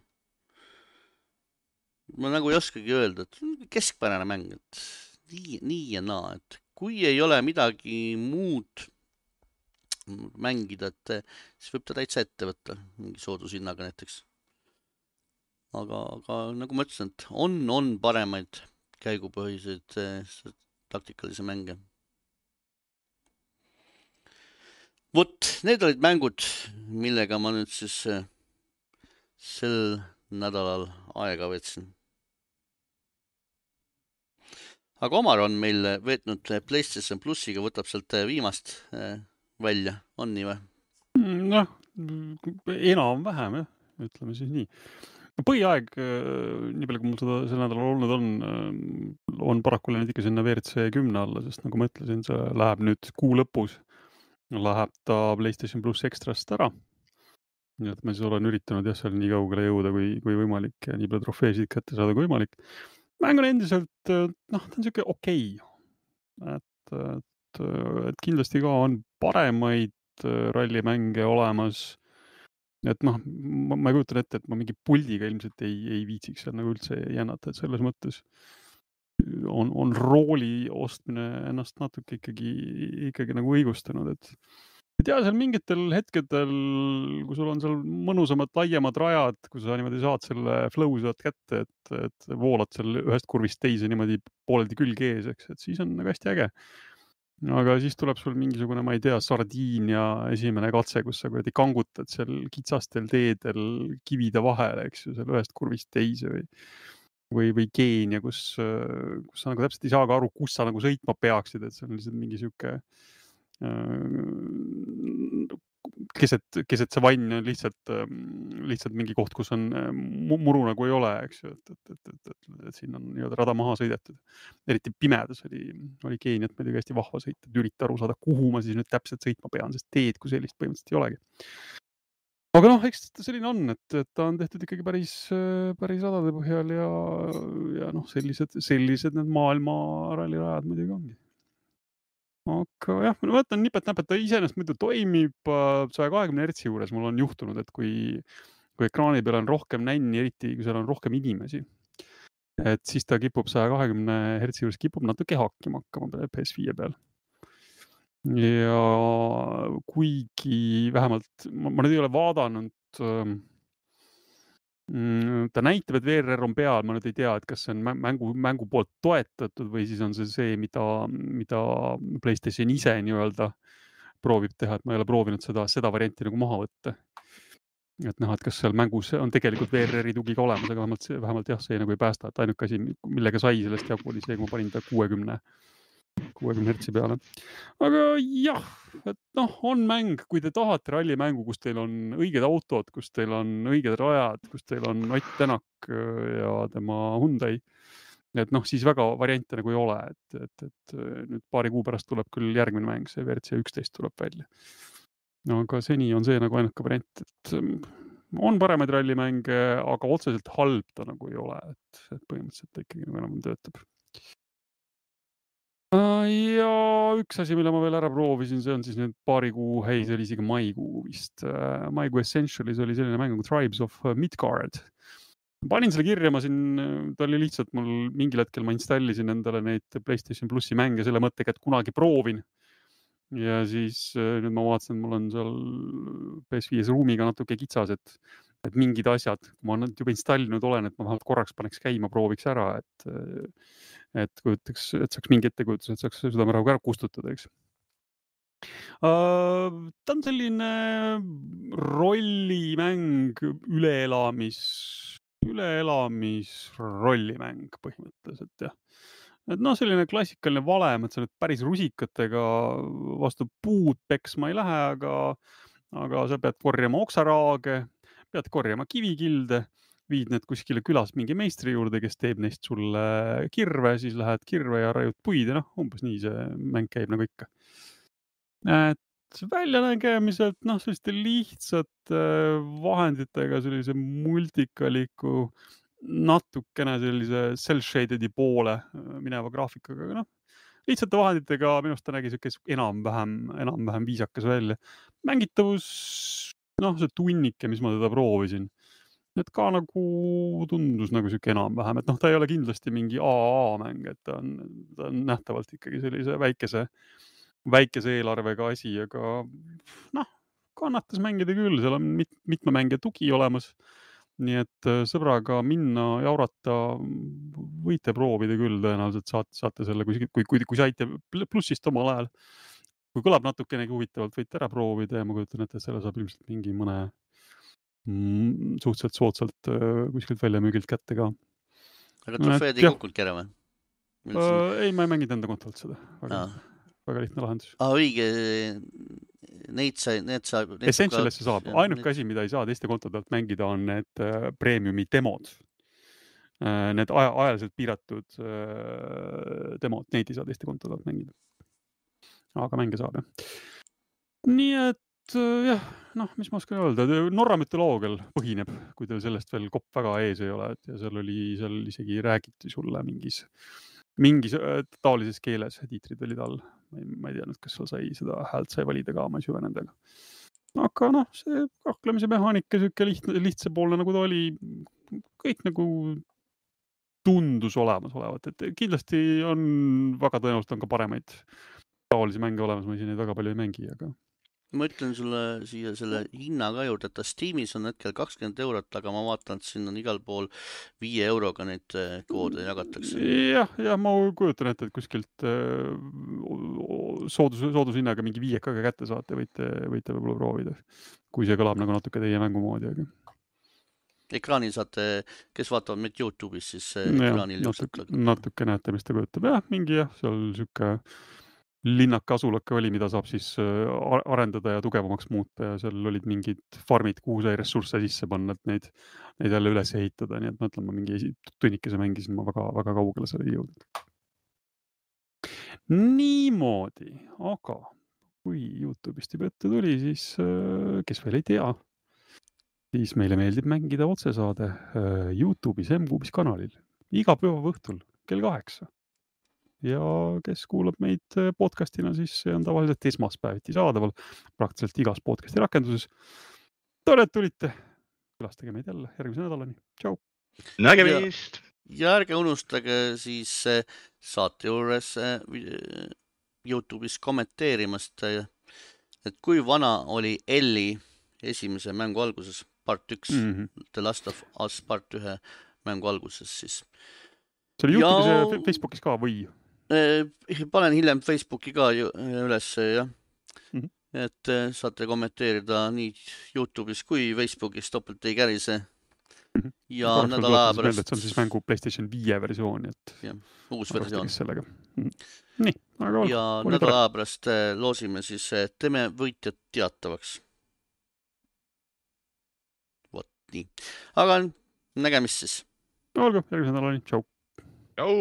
Ma nagu ei oskagi öelda, et keskpärane mäng, et nii ja naa, et kui ei ole midagi muud mängida, et siis võib ta täitsa ette võtta mingi soodushinnaga näiteks. Aga nagu ma ütlesin, et on paremaid käigupõhiseid taktikalisi mänge. Vot, need olid mängud, millega ma nüüd siis sel nädalal aega võtsin. Aga Omar on meil veetnud PlayStation Plussiga, võtab sealt viimast välja, on nii või? Noh, enam-vähem, jah, ütleme siis nii. Põhiaeg, nii palju kui mul seda sel nädalal olnud on paraku läinud ikka sinna WRC 10 alla, sest nagu ma ütlesin, see läheb nüüd kuu lõpus, läheb ta PlayStation Plus Extrast ära. Nii et ma siis olen üritanud jah, seal nii kaugele jõuda kui võimalik ja nii palju trofeesid kätte saada kui võimalik. Mäng on endiselt, noh, ta on siuke okei. Et kindlasti ka on paremaid rallimänge olemas. Et noh, ma ei kujutan ette, et ma mingi puldiga ilmselt ei viitsiks seal nagu üldse jännata, et selles mõttes on rooli ostmine ennast natuke ikkagi nagu õigustanud, et ja seal mingitel hetkedel, kui sul on seal mõnusamad laiemad rajad, kui sa niimoodi saad selle flow saad kätte, et voolad seal ühest kurvist teise niimoodi pooleldi külg ees, eks, et siis on nagu hästi äge. Aga siis tuleb sul mingisugune, ma ei tea, Sardiinia esimene katse, kus sa kuidagi kangutad seal kitsastel teedel kivide vahele, eks ju, seal ühest kurvist teise või Keenia, kus sa nagu täpselt ei saa ka aru, kus sa nagu sõitma peaksid, et see on lihtsalt mingi siuke keset see vann on lihtsalt mingi koht, kus on muru nagu ei ole, eks ju, et siin on nii-öelda rada maha sõidetud. Eriti pimedas oli Keeniat muidugi hästi vahva sõita, et ürita aru saada, kuhu ma siis nüüd täpselt sõitma pean, sest teed kui sellist põhimõtteliselt ei olegi. Aga noh, eks ta selline on, et ta on tehtud ikkagi päris radade põhjal ja noh, sellised need maailma rallirajad muidugi ongi. Aga jah, ma võtan nipet-näpet, ta iseenesest muidu toimib 120 Hz juures. Mul on juhtunud, et kui ekraani peal on rohkem nänni, eriti kui seal on rohkem inimesi, et siis ta kipub 120 Hz juures kipub natuke hakkima hakkama PS5 peal. Ja kuigi vähemalt, ma nüüd ei ole vaadanud, ta näitab, et VRR on peal, ma nüüd ei tea, et kas see on mängu poolt toetatud või siis on see, mida PlayStation ise nii-öelda proovib teha, et ma ei ole proovinud seda varianti nagu maha võtta. Et näha, et kas seal mängus on tegelikult VRR-i tugi ka olemas, aga vähemalt jah, see nagu ei päästa, et ainuke asi, millega sai sellest jagu, oli see, kui ma panin ta 60 Hz peale. Aga jah, et on mäng, kui te tahate rallimängu, kus teil on õiged autod, kus teil on õiged rajad, kus teil on Ott Tänak ja tema Hyundai, et siis väga variante nagu ei ole, et nüüd paari kuu pärast tuleb küll järgmine mäng, see WRC 11 tuleb välja. Aga seni on see nagu ainuke variant, et on paremaid rallimänge, aga otseselt halb ta nagu ei ole, et põhimõtteliselt ta ikkagi nagu enam töötab. Ja üks asi, mille ma veel ära proovisin, see on siis nüüd paari kuu, see oli isegi maikuu vist. Maikuu Essentialis oli selline mäng nagu Tribes of Midgard. Panin selle kirja, ta oli lihtsalt mul mingil hetkel ma installisin endale neid PlayStation Plussi mänge selle mõttega, et kunagi proovin. Ja siis nüüd ma vaatasin, et mul on seal PS5 ruumiga natuke kitsas, et mingid asjad, kui ma nüüd juba installinud olen, et ma vähemalt korraks paneks käima, prooviks ära, et saaks mingi ettekujutus, et saaks südamerahuga ära kustutada, eks. Ta on selline rollimäng, üleelamisrollimäng põhimõtteliselt, jah. Et selline klassikaline valem, et sa nüüd päris rusikatega vastu puud peksma ei lähe, aga sa pead korjama oksaraage, pead korjama kivikilde, viid need kuskile külas mingi meistri juurde, kes teeb neist sulle kirve, siis lähed kirve ja raiud puid ja umbes nii see mäng käib nagu ikka. Et väljanägemiselt, selliste lihtsate vahenditega, sellise multikaliku, natukene sellise cel-shaded'i poole mineva graafikaga, aga lihtsate vahenditega minust ta nägi enam-vähem viisakas välja. Mängitavus, see tunnike, mis ma teda proovisin, et ka nagu tundus nagu siuke enam-vähem, et ta ei ole kindlasti mingi AAA-mäng, et ta on nähtavalt ikkagi sellise väikese eelarvega asi, aga kannatas mängida küll, seal on mitme mängija tugi olemas. Nii et sõbraga minna jaurata võite proovida küll, tõenäoliselt saate selle, kui saite plussist omal ajal. Kui kõlab natukenegi huvitavalt, võite ära proovida ja ma kujutan, et selle saab ilmselt mingi mõne suhteliselt soodsalt kuskilt väljamüügilt kätte ka. Aga trofeed ei kukkunud ära või? Ei, ma ei mänginud enda kontolt seda. Väga lihtne lahendus. Õige, need saab... Essentialisse saab. Ainuke asi, mida ei saa teiste kontodelt mängida, on need premiumi demod. Need ajaliselt piiratud demod, neid ei saa teiste kontodelt mängida. Aga mänge saab, jah. Nii et jah, mis ma oskan öelda, Norra mütoloogial põhineb, kui teil sellest veel kopp väga ees ei ole, ja seal isegi räägiti sulle mingis taolises keeles, tiitrid olid all. Ma ei teadnud, kas seal seda häält sai valida ka, ma ei süve nendega. Aga see kaklemise mehaanika siuke lihtsapoolne, nagu ta oli, kõik nagu tundus olemas olevat, et kindlasti on väga tõenäoliselt on ka paremaid taolisi mänge olemas, ma ise neid väga palju ei mängi, aga ma ütlen sulle siia selle hinna ka juurde, et ta Steamis on hetkel 20 €, aga ma vaatan, et siin on igal pool 5 euroga neid koode jagatakse. Ja ma kujutan ette, et kuskilt soodushinnaga mingi 5 ka kätte saate, võite võib-olla proovida, kui see kõlab nagu natuke teie mängumoodi, aga ekraanil saate, kes vaatavad meid YouTube'is, siis ekraanil natuke näete, mis ta kujutab. Jah, mingi seal siuke linnake asulake oli, mida saab siis arendada ja tugevamaks muuta ja seal olid mingid farmid, kuhu sai ressursse sisse panna, et neid jälle üles ehitada, nii et ma ütlen, ma mingi tunnikese mängisin, ma väga kaugele selle ei jõudnud. Niimoodi, aga kui YouTube'ist juba ette tuli, siis kes veel ei tea, siis meile meeldib mängida otsesaade YouTube'is M-Kuubis kanalil iga pühapäeva õhtul kell 8. Ja kes kuulab meid podcastina, siis see on tavaliselt esmaspäeviti saadaval praktiliselt igas podcasti rakenduses. Tore, et tulite. Külastage meid jälle järgmise nädalani. Tšau! Nägemist! ja ärge unustage siis saate juures YouTube'is kommenteerimast, et kui vana oli Elli esimese mängu alguses, part 1, The Last of Us part 1 mängu alguses siis. See oli YouTube'is ja Facebookis ka või? Panen hiljem Facebooki ka üles, jah. Et saate kommenteerida nii YouTube'is kui Facebookis, topelt ei kärise. Ja nädala aja pärast... See on siis mängu PlayStation 5 versioon, et... jah, uus versioon. Nii, aga ja nädala aja pärast loosime siis, teeme võitjad teatavaks. Vot nii. Aga nägemist siis. Olgu, järgmise nädalani. Tšau. Tšau.